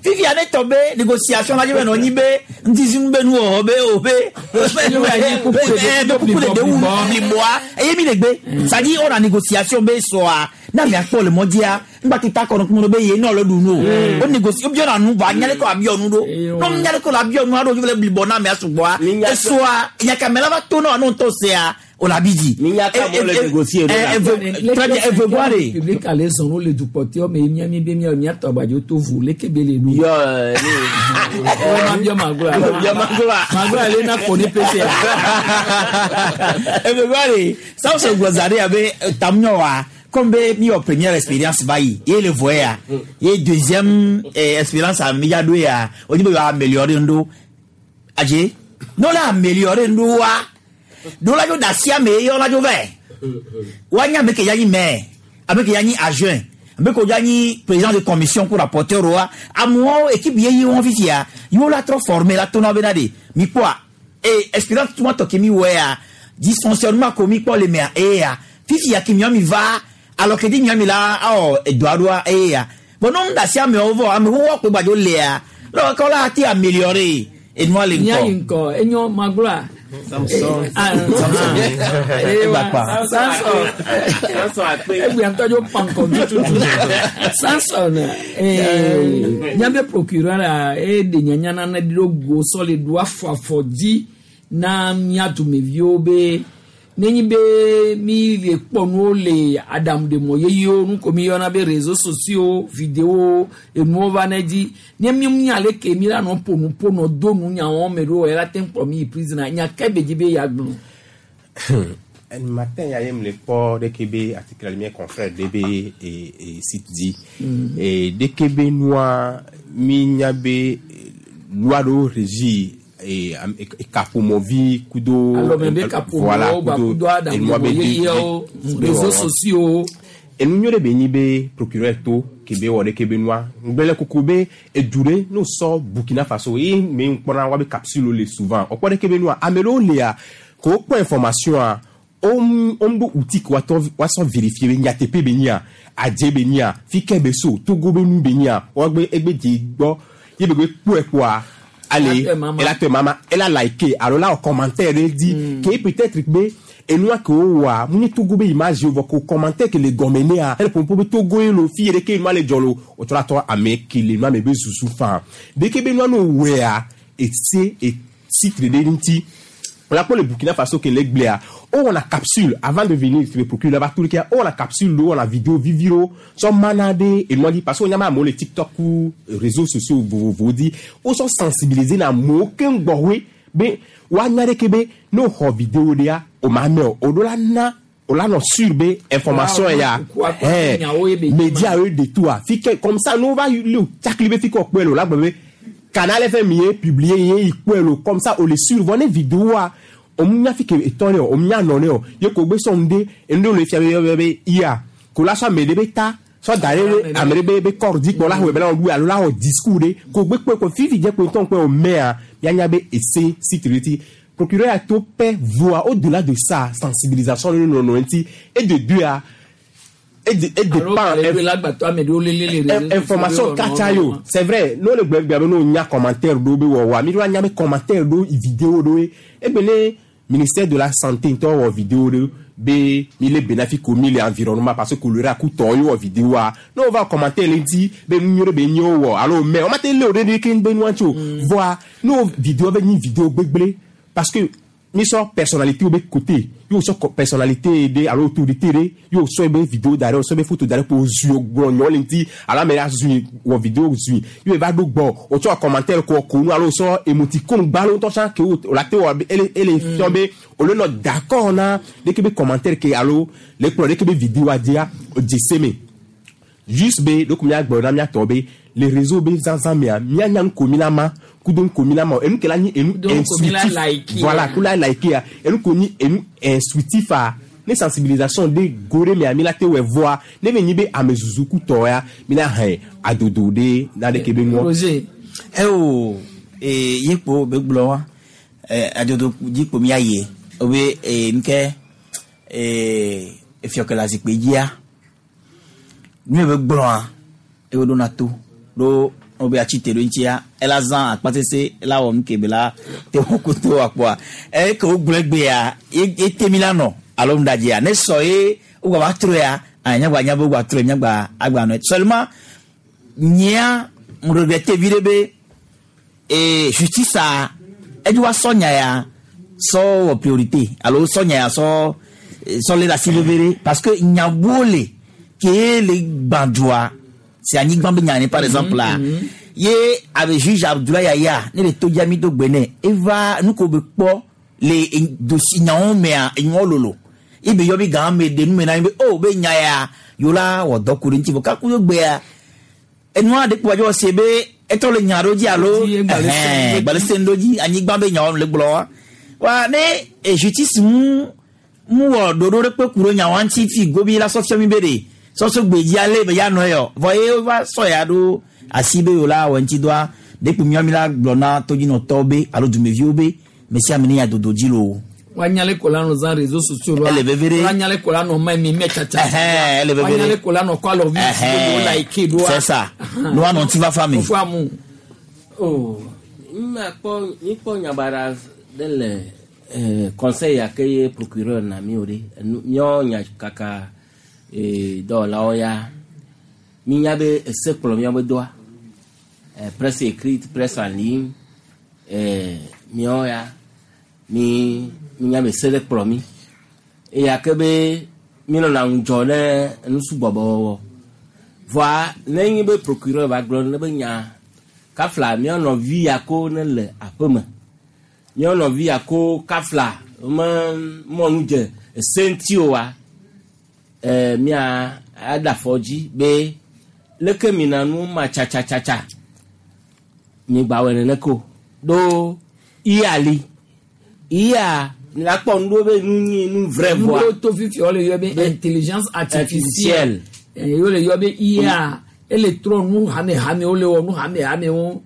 Fifia ne tɔ be négociation la dze be nɔ nyi be ŋutizinu be nuwɔwɔ be o be be kuku de dewu bliboa eye mi le gbe. C'est-à-dire on a négociation be sɔa na mia kpɔ le mɔdzia ŋgbati ta kɔnɔ kuma be ye nɔ le ɖu nu o. O négocie o biɔ na nu vɔ anya le ko abiɔ nu ɖo. N'o nya le ko la abiɔ nua ɖo le blibɔ na mia sugbɔa esoa nyakame la va to na wa n'o tɔ sea o la bi dzi. Très bien evegoa de. Public ale zɔn no le dukpɔtɔ me mía mi be mía mía tɔ agbadze to vu leke be le nu. Yɔ ɛɛ. Ma biɔ magloa. Biɔ magloa. Magloa le na kpo ne pese. Evegoa de Samson gblɔ za ɖe abe tamunyɔ wa comme be mi wɔ première expérience va yi ye le vɔ ya ye deuxième eh, expérience a mi ya ɖo ya o ni be yɔ améliorer ŋɖo adze n'o la améliorer ŋɖo wa ɖo la dzo da si ame ye yɔ la dzo vɛ wa nya ame ke ya nyi maire ame ke ya nyi adjoint ame ke ya nyi président de commission ko rapporteur wa amewo équipe ye yi wɔn fifia yiwo la trɔ former la to na bena de mi kpɔa e expérience tuma tɔ ke mi wɔ ya dysfonctionnement ko mi kpɔ le mea eya fifia ke miɔ mi va alors que di miɔ mi la awɔ edoa ɖoa eya bon n'o da si amewo vɔ amewo wɔ kpe gbadzo lea lɔwɔ kɔ la ti améliorer enua le Mía yi ŋkɔ. ŋkɔ enyo magloa. Samson. Samson. Samson. Egbe ŋutɔ dzo pankɔ tututu. Samson. Míabe procureur la e de nyanya nane ɖo go sɔ le ɖo afɔ afɔ dzi na mía dumeviwo be nenyi be mi le kpɔ nuwo le aɖaŋuɖemɔ yeyewo nu ko mi yɔna be réseaux sociaux vidéo enuwo va ne dzi ne mi mi ale ke mi la nɔ ƒo nu ƒo nɔ do nu nyawo me ɖo ela te kplɔ mi yi prison nya ke be dzi be ya gblɔ. Matin ya ye me le kpɔ ɖeke be article mía confrère ɖe be e e site dzi. E ɖeke be nua mi nya be loi ɖewo régi e am- e kaƒomɔvi kudo. Alɔme be kaƒomɔwo ba kudo aɖaŋuɖemɔ yeyewo réseaux sociaux. Enu nyuie ɖe be nyi be procureur to ke be wɔ ɖeke be nua ŋgblẽ koko be edu ɖe n'o sɔ Burkina Faso ye me ŋkpɔna wa be capsule le souvent o kpɔ ɖeke be nua ame ɖewo lia ko wokpɔ information a wo ɖo outil ke woatɔ woasɔ vérifier be nyateƒe be nyia adze be nyia fi ke be so Togo be nu be nyia woagbe egbe dze gbɔ ye be gbe kpɔe kpoa ale ela tɔ mama ela like alo la wɔ commentaire ɖe di ke peut-être be enua ke wowɔa mu nye Togo be image vɔ ko commentaire ke le gɔme nea ele ƒoƒo be Togo ye lo fi yi ɖeke nua le dzɔ lo wotsɔ la tɔ ame ke le nua me be susu faa ɖeke be nua no wɔea ese etitre ɖe ŋuti on a le Burkina Faso ke le gblea wowɔna capsule avant de venir le procureur va tout le cas wowɔna capsule lo wowɔna vidéo viviro sɔ mana ɖe enua dzi parce que wonyama amewo le TikTok ku réseaux sociaux vovovowo dzi wosɔ sensibiliser na amewo keŋ gbɔwoe be woanya ɖeke be ne woxɔ vidéo ɖea o ma mɛ o o ɖo la na o la nɔ sûr be information ya ɛɛ média ye de tout a fi ke comme ça n'o va le tsakli be fi ke wòkpɔe le o la gblɔ be Canal F M ye publié ye yi kpɔe le comme ça o le sûr vɔ ne vidéo a o nya fi ke etɔ ne o o nya nɔ ne o ye ko gbe sɔn de enu ɖe le fia be be be ya ko la sɔ ame ɖe be ta sɔ da ɖe ame ɖe be be kɔr dzi kpɔ la wɔ be la wɔ alo la wɔ discours ɖe ko gbe kpɔe ko fifi dze kpe ŋutɔ kpɔe o mɛa mianya be ese sécurité procureur a to pɛ voa au delà de ça sensibilisation ɖe nɔnɔ ŋuti et de deux a et de et de pan information katsa yo c'est vrai n'o le gbɛgbɛ be n'o nya commentaire ɖo be wɔwɔa mi ɖo anya be commentaire ɖo vidéo ɖo ye egbe ne Ministère de la santé ŋutɔ wɔ vidéo ɖe be mi le bénéfice ko mi le environnement parce que choléra ku tɔ ye wɔ vidéo a ne wo va commenter le ŋuti be nu nyuie ɖe be nye wo wɔ alo mɛ wo ma te lé o ɖe ɖe ke be nua ŋuti o voa ne wo vidéo be nyi vidéo gbegblẽ parce que mi sɔ personnalité wo be côté ye wo sɔ co- personnalité ɖe alo autorité ɖe ye wo sɔ be vidéo da ɖe wo sɔ be photo da ɖe ko zui wo gblɔ nyɔ le ŋuti alo ame ɖe zui wɔ vidéo zui ye wo va ɖo gbɔ wo tsɔ commentaire ko ko nu alo wo sɔ émoticône gbalo ŋutɔ tsã ke wo wo la te wɔ ele ele fiɔ be olu nɔ d'accord na ɖeke be commentaire ke alo le kplɔ ɖeke be vidéo a dzia o dze se me juste be ɖoko míagblɔ na míatɔ be le réseau be zazã mea míanya nu ko mi la ma kudo nu ko mi la ma o enu ke la nyi enu Donc, ko mi la instructif like voilà ya. ku la like ya enu ko nyi enu instructif a ne sensibilisation de go ɖe mea mi la te wɔ voa ne be nyi be ame zuzu ku tɔ ya mi la hɛn adodo ɖe na ɖeke be ŋuɔ. Roger. Eo e yekpo be gblɔ wa e adodo dzi kpo mía ye wobe e nke e efiɔke le zikpui dzia nu yi be gblɔa eye woɖona to ɖo wobe atsi te ɖo ŋutia ela zã akpasese ela wɔ nu ke be la te wɔ koto akpɔa eye ke wogblɔ egbea ye ye te mi la nɔ alo ŋdadzia ne sɔ ye wogba va trɔe ya anyagba nya be wogba trɔe miagba agba nɔe seulement nyea m regrette vi ɖe be e justice a edzi wa sɔ nya ya sɔ wɔ priorité alo sɔ nya ya sɔ sɔ lé ɖe asi veve ɖe parce que nyabuwo le ke le gbãdua si anyigba be nya ne par exemple la ye abe juge Abdoulaye Yaya ne le to dzia mi do gbe nɛ eva nu ko be kpɔ le e- dossier nyawo mea enyawo lolo ebe yɔ bi gã me de nu me na mi be o be nya ya yewo la wɔ dɔ ku ɖe ŋuti vɔ kaku yo gbea enua ɖe kpɔ adzɔ se be etɔ le nya ɖo dzi alo ɛhɛn, gbalẽ se ɖo dzi anyigba be nyawo le gblɔ wa wa ne e justice mu mu wɔ ɖoɖo ɖe kpe ku ɖe nyawo ŋuti fi gobi la sɔ fia mi be ɖe sɔsɔ gbedzi ale be ya nɔ yɔ vɔ ye va sɔ ya ɖo asi be yewo la wɔ ŋuti dɔa ɖe kpo miɔ mi la gblɔ na todzinɔtɔwo be alo dumeviwo be me sia ame ne ya dodo dzi loo. Wanyale kola nɔ zã réseaux sociaux la. Ele veve ɖe. Wanyale kola nɔ ma mi mɛ tsatsa. Ɛhɛn, ele veve ɖe. Wanyale kola nɔ kɔ alɔvi Ɛhɛn, do like do. c'est ça. Ne woanɔ ŋutifafa me. Fo amu. Oh, makpɔ mikpɔ nyabara ɖe le eh, conseil ya ke ye procureur na mi o ɖe Enu- míawo nya kaka eh, dɔwɔlawo ya minya be ese kplɔ míawo be dɔa eh, presse écrite presse en ligne eh, míawo ya mi minya be se ɖe kplɔ mi eya ke be míenɔna ŋudzɔ ne nusugbɔbɔwɔwɔ vɔa ne nye be procureur va gblɔ ne be nya kafla míawo nɔvi ya ko ne le aƒeme míawo nɔvi ya ko kafla me mɔnu dze ese ŋuti o wa ɛɛ mía aɖe afɔ dzi be leke mina nu ma tsatsatsa mi gba wɔ nene ko ɖo iya li iya la kpɔ nu ɖo be nu nyi nu vrai voa Nu to fifi wole yɔ be intelligence artificielle. Artificielle. Eh, Wole yɔ be IA. Ele trɔ nu hame hame wole wɔ nu hame hame wo.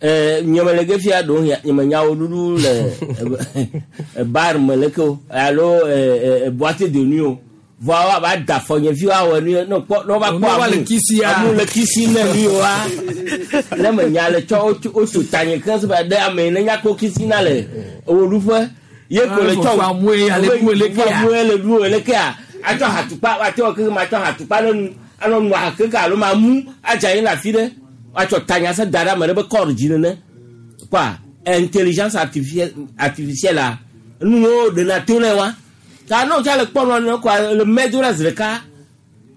Eh, nyemele ge fia ɖewo hia nyemenyawo ɖuɖu le bar me leke o alo eh, eh, boîte de nuit o vɔa woava da afɔ nye vi woawɔ nu ye ne kpɔ ne wova Ne kpɔ wova le amu kisi ya. amu le kisi ne nu yewoa ne menya le tsɔ wotso wotso tanye keŋ sebe ɖe ame yi ne nya kpɔ kisi na le ewòɖuƒe ye ko le tsɔ Fofo amu ye ale ɖu elekea. amu ye le ɖu elekea atsɔ hatukpa woate wɔ keke ma tsɔ hatukpa ɖe nu anɔ nu aha keke alo ma mu adze anyi le afi ɖe woatsɔ tanya se da ɖe ame ɖe be kɔr dzi nene quoi intelligence artificielle artificielle la nuwo ɖena to ne wa ta ne wotsa le kpɔ nua ne quoi le mɛ do ɖe zi ɖeka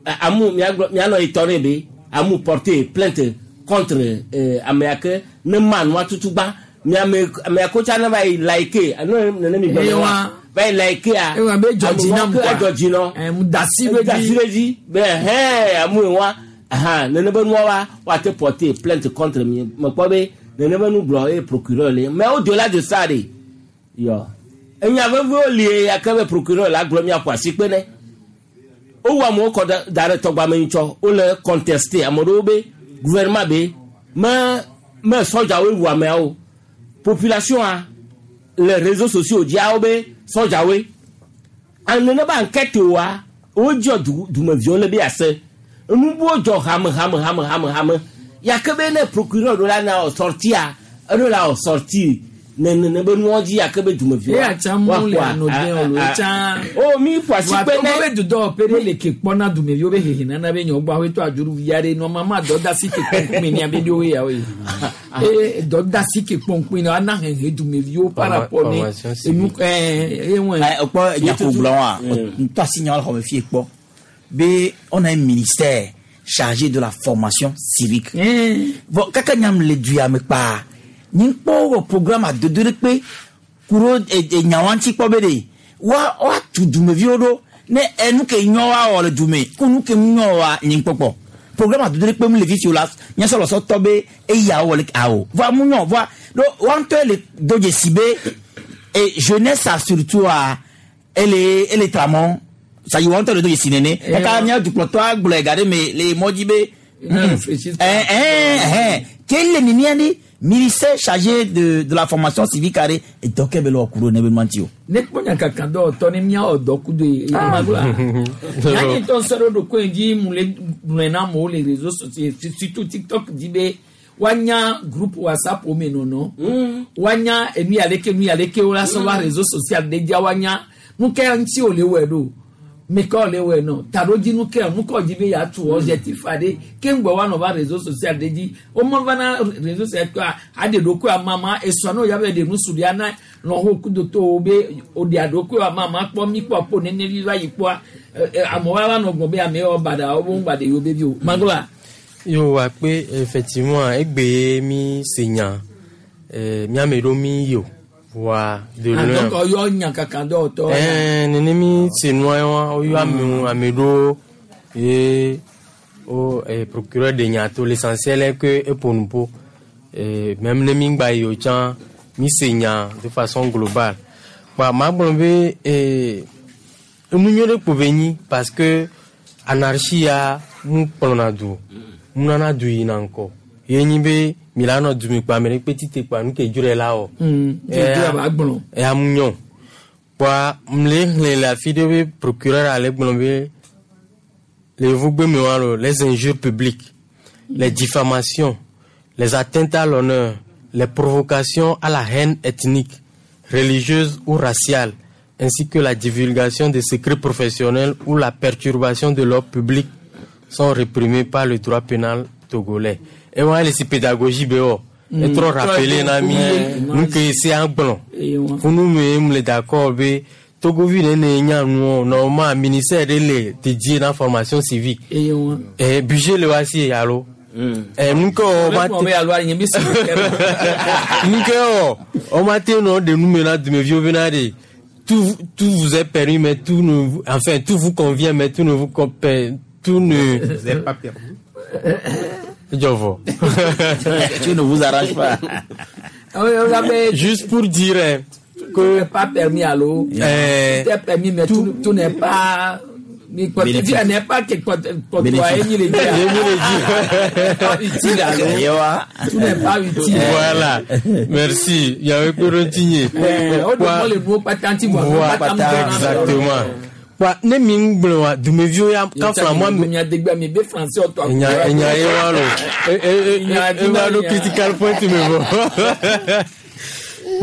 eh, amu miagblɔ mianɔ yi tɔ ne be amu porter plainte contre euh, ame ya ke ne ma nua tutu gbã miame ame ya ko tsa ne va yi like ne nene mi gblɔ ne wa va yi like a Ewa be dzɔ dzi nam ame quoi. edzɔ dzi nɔ Eh, mu da asi ɖe dzi. da asi ɖe dzi be hɛn amu yi wa ahan nene be nua wa woate porter plainte contre mi mekpɔ be nene be nu gblɔ ye procureur le mais au delà de ça de yɔ enya vevewo li ya ke be procureur la gblɔ miaƒo asi kpe ne wowu amewo kɔ da- da ɖe tɔgbame ŋutsɔ wole contesté ame ɖewo be gouvernement be me me sɔdzawoe wu ameawo population a le réseaux sociaux dzia wo be sɔdzawoe ane ne be enquête wa wodzɔ du dumeviwo le be ase enubuwo dzɔ hame hame hame hame hame ya ke be ne procureur ɖo la na wɔ sortia eɖo la wɔ sorti Nene be nuwo dzi ake be dumeviwo. Eya tsa mu le ano den o lo tsa. O mi ƒo asi kpe ne. Wa to be dudɔ pe ɖe le ke kpɔna dumeviwo be hehe nana be nyɔ gbɔ awetɔ adzuru via ɖe nɔma dɔ da si ke kpɔnkpɔn ni abe ɖewo ya wo ye. E dɔ da si ke kpɔnkpɔn ni ana hehe dumeviwo par rapport ne enu ɛɛ ewɔn. Ɛ kpɔ nyako gblɔ wa ntɔ asi nya xɔme fie kpɔ be on a un ministère chargé de la formation civique. Bon kaka nyam le duya me kpa. Ni kpɔ programme adodo ɖe kpe kuro nyawo ŋuti kpɔ be ɖe wa wa tu dumeviwo ɖo ne enu ke nyɔ wa wɔ le dume ko nu ke nyɔ wa nyi kpɔkpɔ programme adodo ɖe kpe mu le fifi o la nyasɔlɔsɔ tɔ be eya wɔ le awo voa mu nyɔ voa ɖo wa ŋutɔ le do dzesi be e jeunesse a surtout a ele ele tramɔ sayi wa ŋutɔ le do dzesi nene kaka mía dukplɔtɔ agblɔe ga ɖe me le mɔ dzi be ɛɛ ɛɛ ke le nenia ɖe. Ministère chargé de, de la formation civique carré et donc elle le kuro ne be mantio. Ne kponya kaka do to ne mia odo kudo e magla. Yanni ton soro do ko nji mule mule mo les réseaux sociaux surtout TikTok di be wanya groupe WhatsApp o me nono. Wanya enu aleke nu aleke o la so wa réseaux social de dia wanya nu ke nti o le we do. Me ko le we no taroji nu ke nu ko ji be ya tu objectif ade ke ngbo wa no ba réseaux social de di o mo va na réseaux social ko ade do ko mama e so no ya be de nu suri ana no ho ku do to be o de ado ko mama po mi po po nene vi va yi po amo wa wa no gbon be ame o bada o bo ngbade yo be bi o mangola yo wa pe effectivement egbe mi senya eh mi amero mi yo wa de loin. Donc yo nya kaka do to. Eh nene mi se noa wa yo ame amero et au procureur de Nyato l'essentiel est que et pour nous pour et même ne mi ngba yo chan mi se nya de façon globale. Ba ma bon be eh nu nyore po beni parce que anarchie a mu plona du. Mu nana du ina nko. Ye be Milano du pa mere petit pa nu ke jure la o. Mm. E amunyo. Pa mle la fille de procureur ale gbonbe les vougbe me walo les injures publiques, les diffamations, les atteintes à l'honneur, les provocations à la haine ethnique, religieuse ou raciale, ainsi que la divulgation des secrets professionnels ou la perturbation de l'ordre public sont réprimées par le droit pénal togolais. Et moi, les pédagogie B O. Et trop rappelé, nami, nous que c'est un blanc. Pour nous, nous d'accord, B. Togo ville ne nya nous, normalement, ministère de l'é, dédié dans la formation civique. Et budget le voici, allo. Et nous que on va nous que on va te de nous maintenant de me vieux venir tout tout vous est permis mais tout ne enfin tout vous convient mais tout ne vous tout ne vous est pas permis. Jovo. Tu ne vous arranges pas. Juste pour dire que tout n'est pas permis à l'eau. Euh, tout est permis, mais tout, tout n'est pas. Mais quoi tu dis, n'est pas que quoi toi ni les utile à l'eau. Tout n'est pas utile. Voilà. Merci. Il y avait Corontigné. On demande le mot patenti. Exactement. Wa ne mi ngblo wa dumevio ya ka fla mo mi adegba mi be français o to nya nya e wa lo e e e wa lo critical point me bo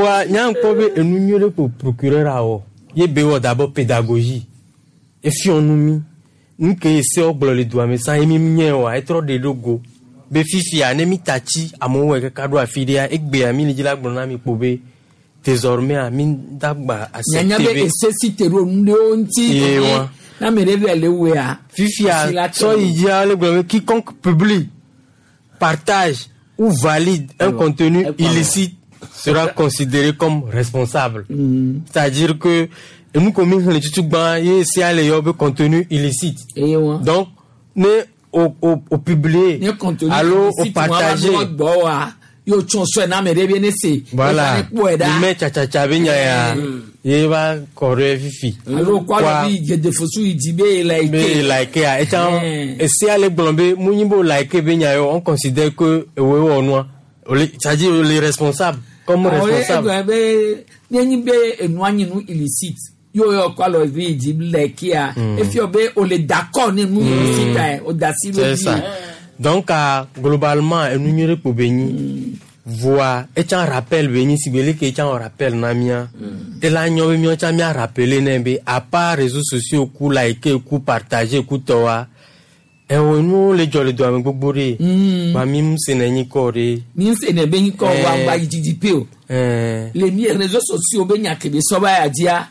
wa nya nko be enu nyore po procureur awo ye be wo d'abord pédagogie e fi onu mi nke se ogblo le doa me san e mi nye wa e tro de logo be fifi a ne mi tachi amo we ka do afide ya egbe ami ni jila gbon na mi po be désormais ami dagba accepter nécessité na me révèle wea fifia so il le quiconque publie partage ou valide un contenu illicite sera considéré comme responsable. Mm. C'est-à-dire que nous comme le tutugba ye c'est aller yob contenu illicite. Donc ne au au au publier allo au partager yo tson so na me rebe ne se voilà mais cha cha cha be nya ya ye ba kore fifi alo kwa bi je de fosu idi be like be like ya et et c'est aller blombe munimbo like be nya yo on considère que we wo noa c'est-à-dire les responsables comme responsable be ni be enu anyi nu illicite yo yo kwa lo bi idi like ya e fi obe o le d'accord ni nu illicite o da si lo. Donc, globalement, nous sommes pour béni. Voa etsã rappel be nyi sigbe leke etsã wɔ rappel na mía. Ela nyɔ be míawo tsã mía rappeler nɛ be à part réseaux sociaux ku like ku partager ku tɔwa ɛwɔ nuwo le dzɔ le doa me gbogbo ɖe. Ba mi mu se ne nyi kɔ ɖe. Mi se ne be nyi kɔ wa Eh. gba yi dzidzi pe o. Ɛɛ. Le mi réseaux sociaux be nya kebe sɔba ya dzia.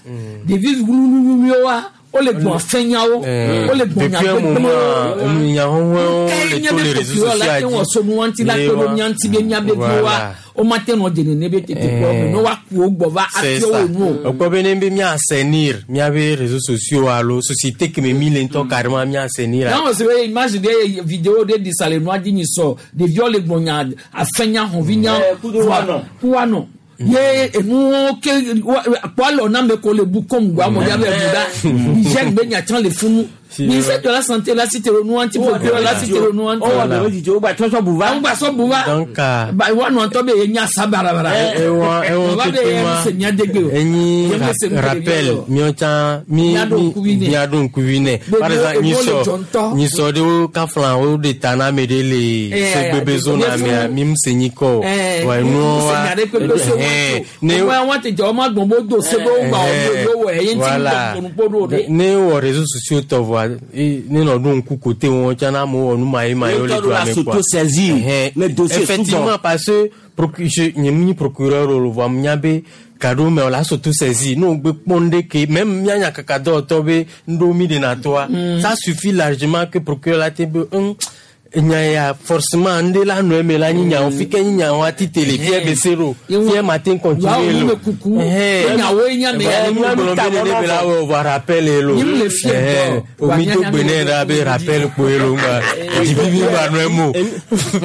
Ɖevi wuluwuluwo wa wole gbɔn fɛnyawo. Eh, Wole gbɔn nya depuis un moment gbegblẽwo. enu nya hɔhɔewo Ke le nye to be le réseaux procureur la sociaux te wɔ dzi. so nu ŋuti la Ye kpe ɖo wa. mía ŋuti be mía be viwoa Voilà. woma te nɔ dze nene be tete kpɔ me ne woaku wo gbɔ va C'est afiɔ ça. wo nu o. Ekpɔ be ne be mía assainir míabe réseaux sociaux alo société ke me mi le ŋutɔ carrément mía assainir. N'a wɔ se be image de vidéo de di sa le nua dzi nyi sɔ ɖeviwo le gbɔn nya afɛnya hɔnvinya Eh, kudo woanɔ. ku woanɔ ye enuwo ke wa- kpɔ alɔ na me ko le bu kɔm gbɔ amewo ya be bu da hygiène be nya tsã le funu ministère de la santé la si te le nua ŋuti procureur la si te le nua ŋuti. Wowɔ ɖewo dzidzi wogba tsɔ sɔ bu va. Wogba sɔ bu va. Donc ah, Ba woanɔ ŋutɔ be ye nya sa barabara. ewa ewa Ba be keke ye ma se nya degbe o. enyi Ye me se nu ra- rappel ɖeviwo. míawo tsã mi Míaɖo mi ŋkuvi nɛ. míaɖo ŋkuvi nɛ. Be Par exemple enuwo le nyisɔ dzɔ ŋutɔ. nyisɔ ɖewo kafla wo ɖe ta na ame ɖe le Eh, segbebe zona eh, mea mi mu se nyi kɔ o. Eh, Wa enuwo wa se nya ɖe kpekpe so eh, wɔn ne to. Wɔn wɔn tete wɔn ma gbɔn bo do se be wo gba wɔn yo wɔ eye ŋuti voilà ŋutɔ ɖo ɖe. ne wɔ réseaux sociaux tɔ vɔa e- ne nɔ ɖo ŋku kote wɔn tsã na amewo wɔ nu ma ye ma ye wo le Ye do tɔ ɖo la ame quoi. s'auto-saisir. Ɛhɛn. Ne dossier effectivement souvent. parce que procu- je nye mu nyi procureur o vɔa mu nya be gaɖewo me wòle s'auto-saisir ne wògbe kpɔ nu ɖe ke même mía nyakaka dɔwɔtɔ be ŋɖewo mi ɖena toa ça suffit largement que procureur la te be hum, nya ya forcément ŋɖe la nɔ eme la nyi nyawo fi ke nyi nyawo ati tele fie be se ɖo fie ma te continuer Wa lo wo kuku. Nyawoe nya me ya. mi gblɔ be nene be la wɔ vɔ rappel ye lo Nyim le fie Ɛhɛn. ŋutɔ. omi do gbe ne ɖa be rappel kpoe lo ŋgba dzivivi ŋgba nɔ eme o.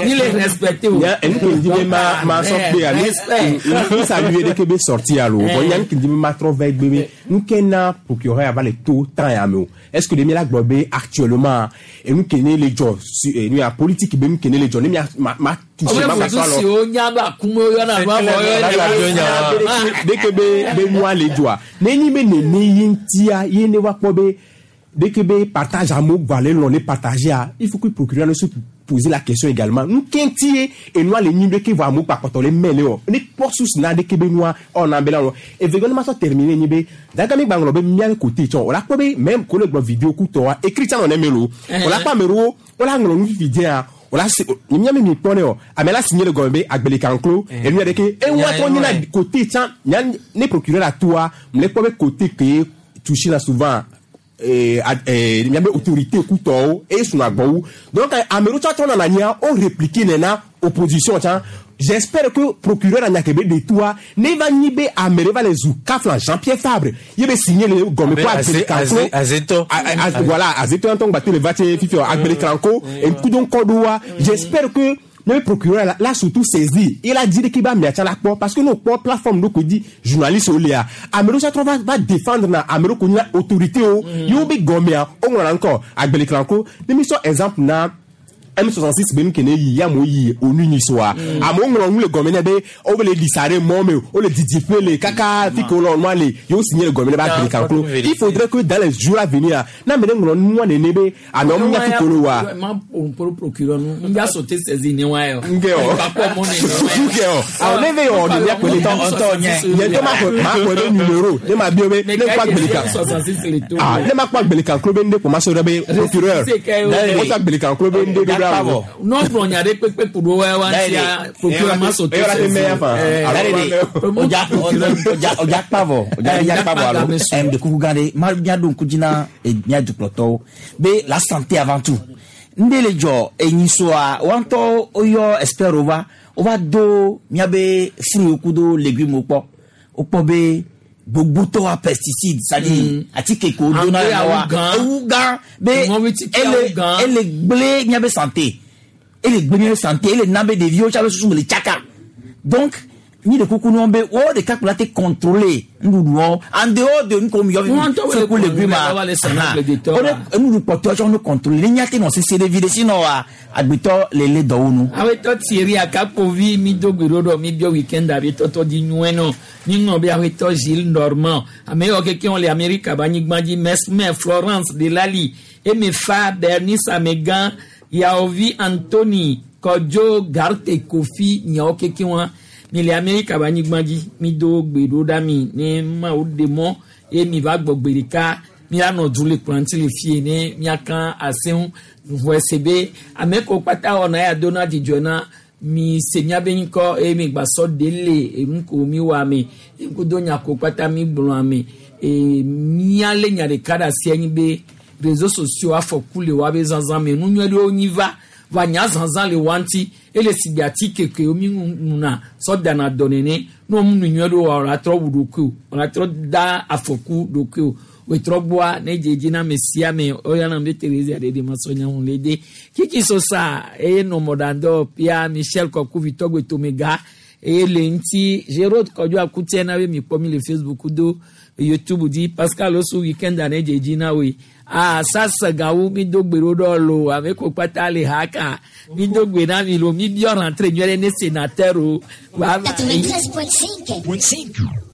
Ni le respecte o. Nya enu ke ŋdi be ma ma sɔ kpe ali mi saluer ɖe ke be sorti alo bon nya nu ke ŋdi be ma trɔ va egbe be nu ke na procureur ya va le to temps ya me o est ce que de mi la gblɔ be actuellement enu ke ne le dzɔ su eh, nu ya politique be nu ke ne le dzɔ ne mia ma ma touché Ɔbɛ ma foto ka sɔ si alɔ o nya be akume yɔna nu avɔ yɔ. dès que be be nua le dzɔa ne nyi be nene ye ŋutia ye ne va kpɔ be dès que be partage amewo gba le lɔ ne partagea il faut que procureur ne se poser la question également nu ke ŋuti ye enua le nyi ɖe ke vɔ amewo gba kpɔtɔ le mɛ le wɔ ne kpɔ source na ɖe ke be nua ɔna be la wɔ evegɔ ne ma sɔ terminer nyi be dagami gba ŋlɔ be mía côté tsɔ o la kpɔ be même ko le gblɔ vidéo kutɔa écrit tsã nɔ ne me lo o la kpɔ ame ɖewo wo la ŋlɔ nu vivi dzɛa o la se mía mi mi kpɔ ne o ame la signé le gɔme be agbalẽkanklo enu ya ɖe ke eŋua trɔ nyina côté tsã nya ne procureur la toa mle kpɔ be côté ke touché la souvent eh, ad- eh, miabe autorité kutɔwo eye suna gbɔwo donc ame ɖewo tsã trɔ nana nyia wo répliquer nena opposition tsã j'espère que procureur anya ke be de toa ne va nyi be ame ɖe va le zu kafla Jean Pierre Fabre ye be signé le gɔme ko Abe agbalẽkanklo Aze- Azetɔ. A- a- voilà azetɔ ŋutɔ ŋgba te le va tse fifi agbalẽkanklo ŋkudoŋkɔ ɖoa j'espère que le procureur la, la surtout saisi il a dit qu'il va mettre la kpɔ parce que nous kpɔ plateforme ɖo ko di journaliste wo lea ame ɖewo tsã trɔ va va défendre na ame ɖewo ko nyina autorité wo yewo be gɔmea woŋlɔna ŋkɔ agbalẽkanklo ne mi sɔ exemple na M soixante six be nu ke ne yi ya amewo yi onu nyi soa amewo ŋlɔ nu le gɔme nɛ be wo le ɖisa ɖe mɔ me wo le didiƒe le kaka fi ke wo le nua le yewo signé le gɔme nɛ be agbalẽkanklo il faudrait que dans les jours à venir ne ame ɖe ŋlɔ nua nene be amewo nya fi ke wo le wa Ma o procureur nu n ja sote saisi ni wa yɔ. Nke o. Nke o. Awɔ ne ve yɔ ne miakpe ne tɔ. Nye ŋutɔ ma xɔ ma xɔ ɖe numéro ne ma biɔ be ne kpɔ agbalẽka. Ah ne ma kpɔ agbalẽkanklo be ŋɖe ko ma sɔ ɖe be procureur. Ne kpɔ agbalẽkanklo be ŋɖe ɖo ɖa o. N'o gblɔ nya ɖe kpekpe ku ɖo wa wa ŋutia procureur ma sote Eyɔ la te mɛ ya fan. Ọjà ọjà ọjà kpavɔ ọjà ọjà kpavɔ alo ɛm de kuku gã ɖe ma miaɖo ŋku dzi na eh, mía dukplɔtɔwo be la santé avant tout ŋɖe le dzɔ enyisoa wa ŋutɔ woyɔ expert wo va wova do míabe fruit kudo légumes kpɔ wokpɔ be gbogbotɔwa pesticide c'est-à-dire atike ko dona Engrais na wa awu gã. ewu gã be Ŋɔvitike ele awu gã. ele gblẽ míabe santé ele gblẽ míabe santé ele na be ɖeviwo tsa be susu me le tsaka donc mi de kuku nɔ be wo ɖeka kplɔ la te contrôler nuɖuɖuɔ en dehors de nuko mi yɔ Ŋutɔ wo le fi ku légumes contrôler, wa le sɛnɛ ma ƒle detɔ o de nuɖuɖu kpɔtɔ tsɔ no contrôler ne nya te nɔ sese ɖe vi ɖe sinɔ wa agbetɔ le le dɔwo nu. awetɔ Thierry Akapovi mi do gbe ɖo ɖɔ mi biɔ weekend abe tɔtɔ di nyuie nɔ mi ŋlɔ be awetɔ Gilles Normand ame yawo kekeŋ le Amerika be anyigba dzi Mesmer Florence Delali Emefa Bernice Amegã Yaovi Anthony Kɔdzo Garte Kofi miawo keke wa mi le Amerika ba anyigba dzi mi do gbe ɖo ɖa mi ne mawu ɖe mɔ ye mi va gbɔ gbe ɖeka mianɔ du le kplɔ ŋuti le fie ne miaka aseŋu vɔ ese be ame ko kpata wɔna ya do na dzidzɔ na mi se miabe ŋkɔ eye mi gbasɔ de le enu ko mi wɔ ame ŋkudo nya ko kpata mi gblɔ ame ee miale nya ɖeka ɖe asi anyi be réseaux sociaux afɔku le woabe zazã me nu nyui ɖewo nyi va va nya zazã le wa ŋuti ele si gbe atike ke mi nuna sɔ dana dɔ nene ne wɔn nu nyui ɖewo wa wòle atrɔ wu ɖokui o wòle atrɔ da afɔku ɖokui o wetrɔ gbɔa ne dzedzi na ame sia ame oyana be Teresa ɖeɖe ma sɔ nya ŋu le de kiki sosa eye nɔ mɔɖaŋdɔ pia Michel Kɔkuvi tɔgbe tomega eye le ŋuti Gérald Kɔdzo Akutia na be mi kpɔ mi le Facebook do YouTube dzi Pascal Osu weekend ne dzedzi na woe ah sasa gawu mi do gbe ɖo ɖɔ lo ame ko kpata le ha ka mi do gbe na mi lo mi biɔ rentrée nyuie ɖe ne sénateur o. quatre-vingt-treize point cinq.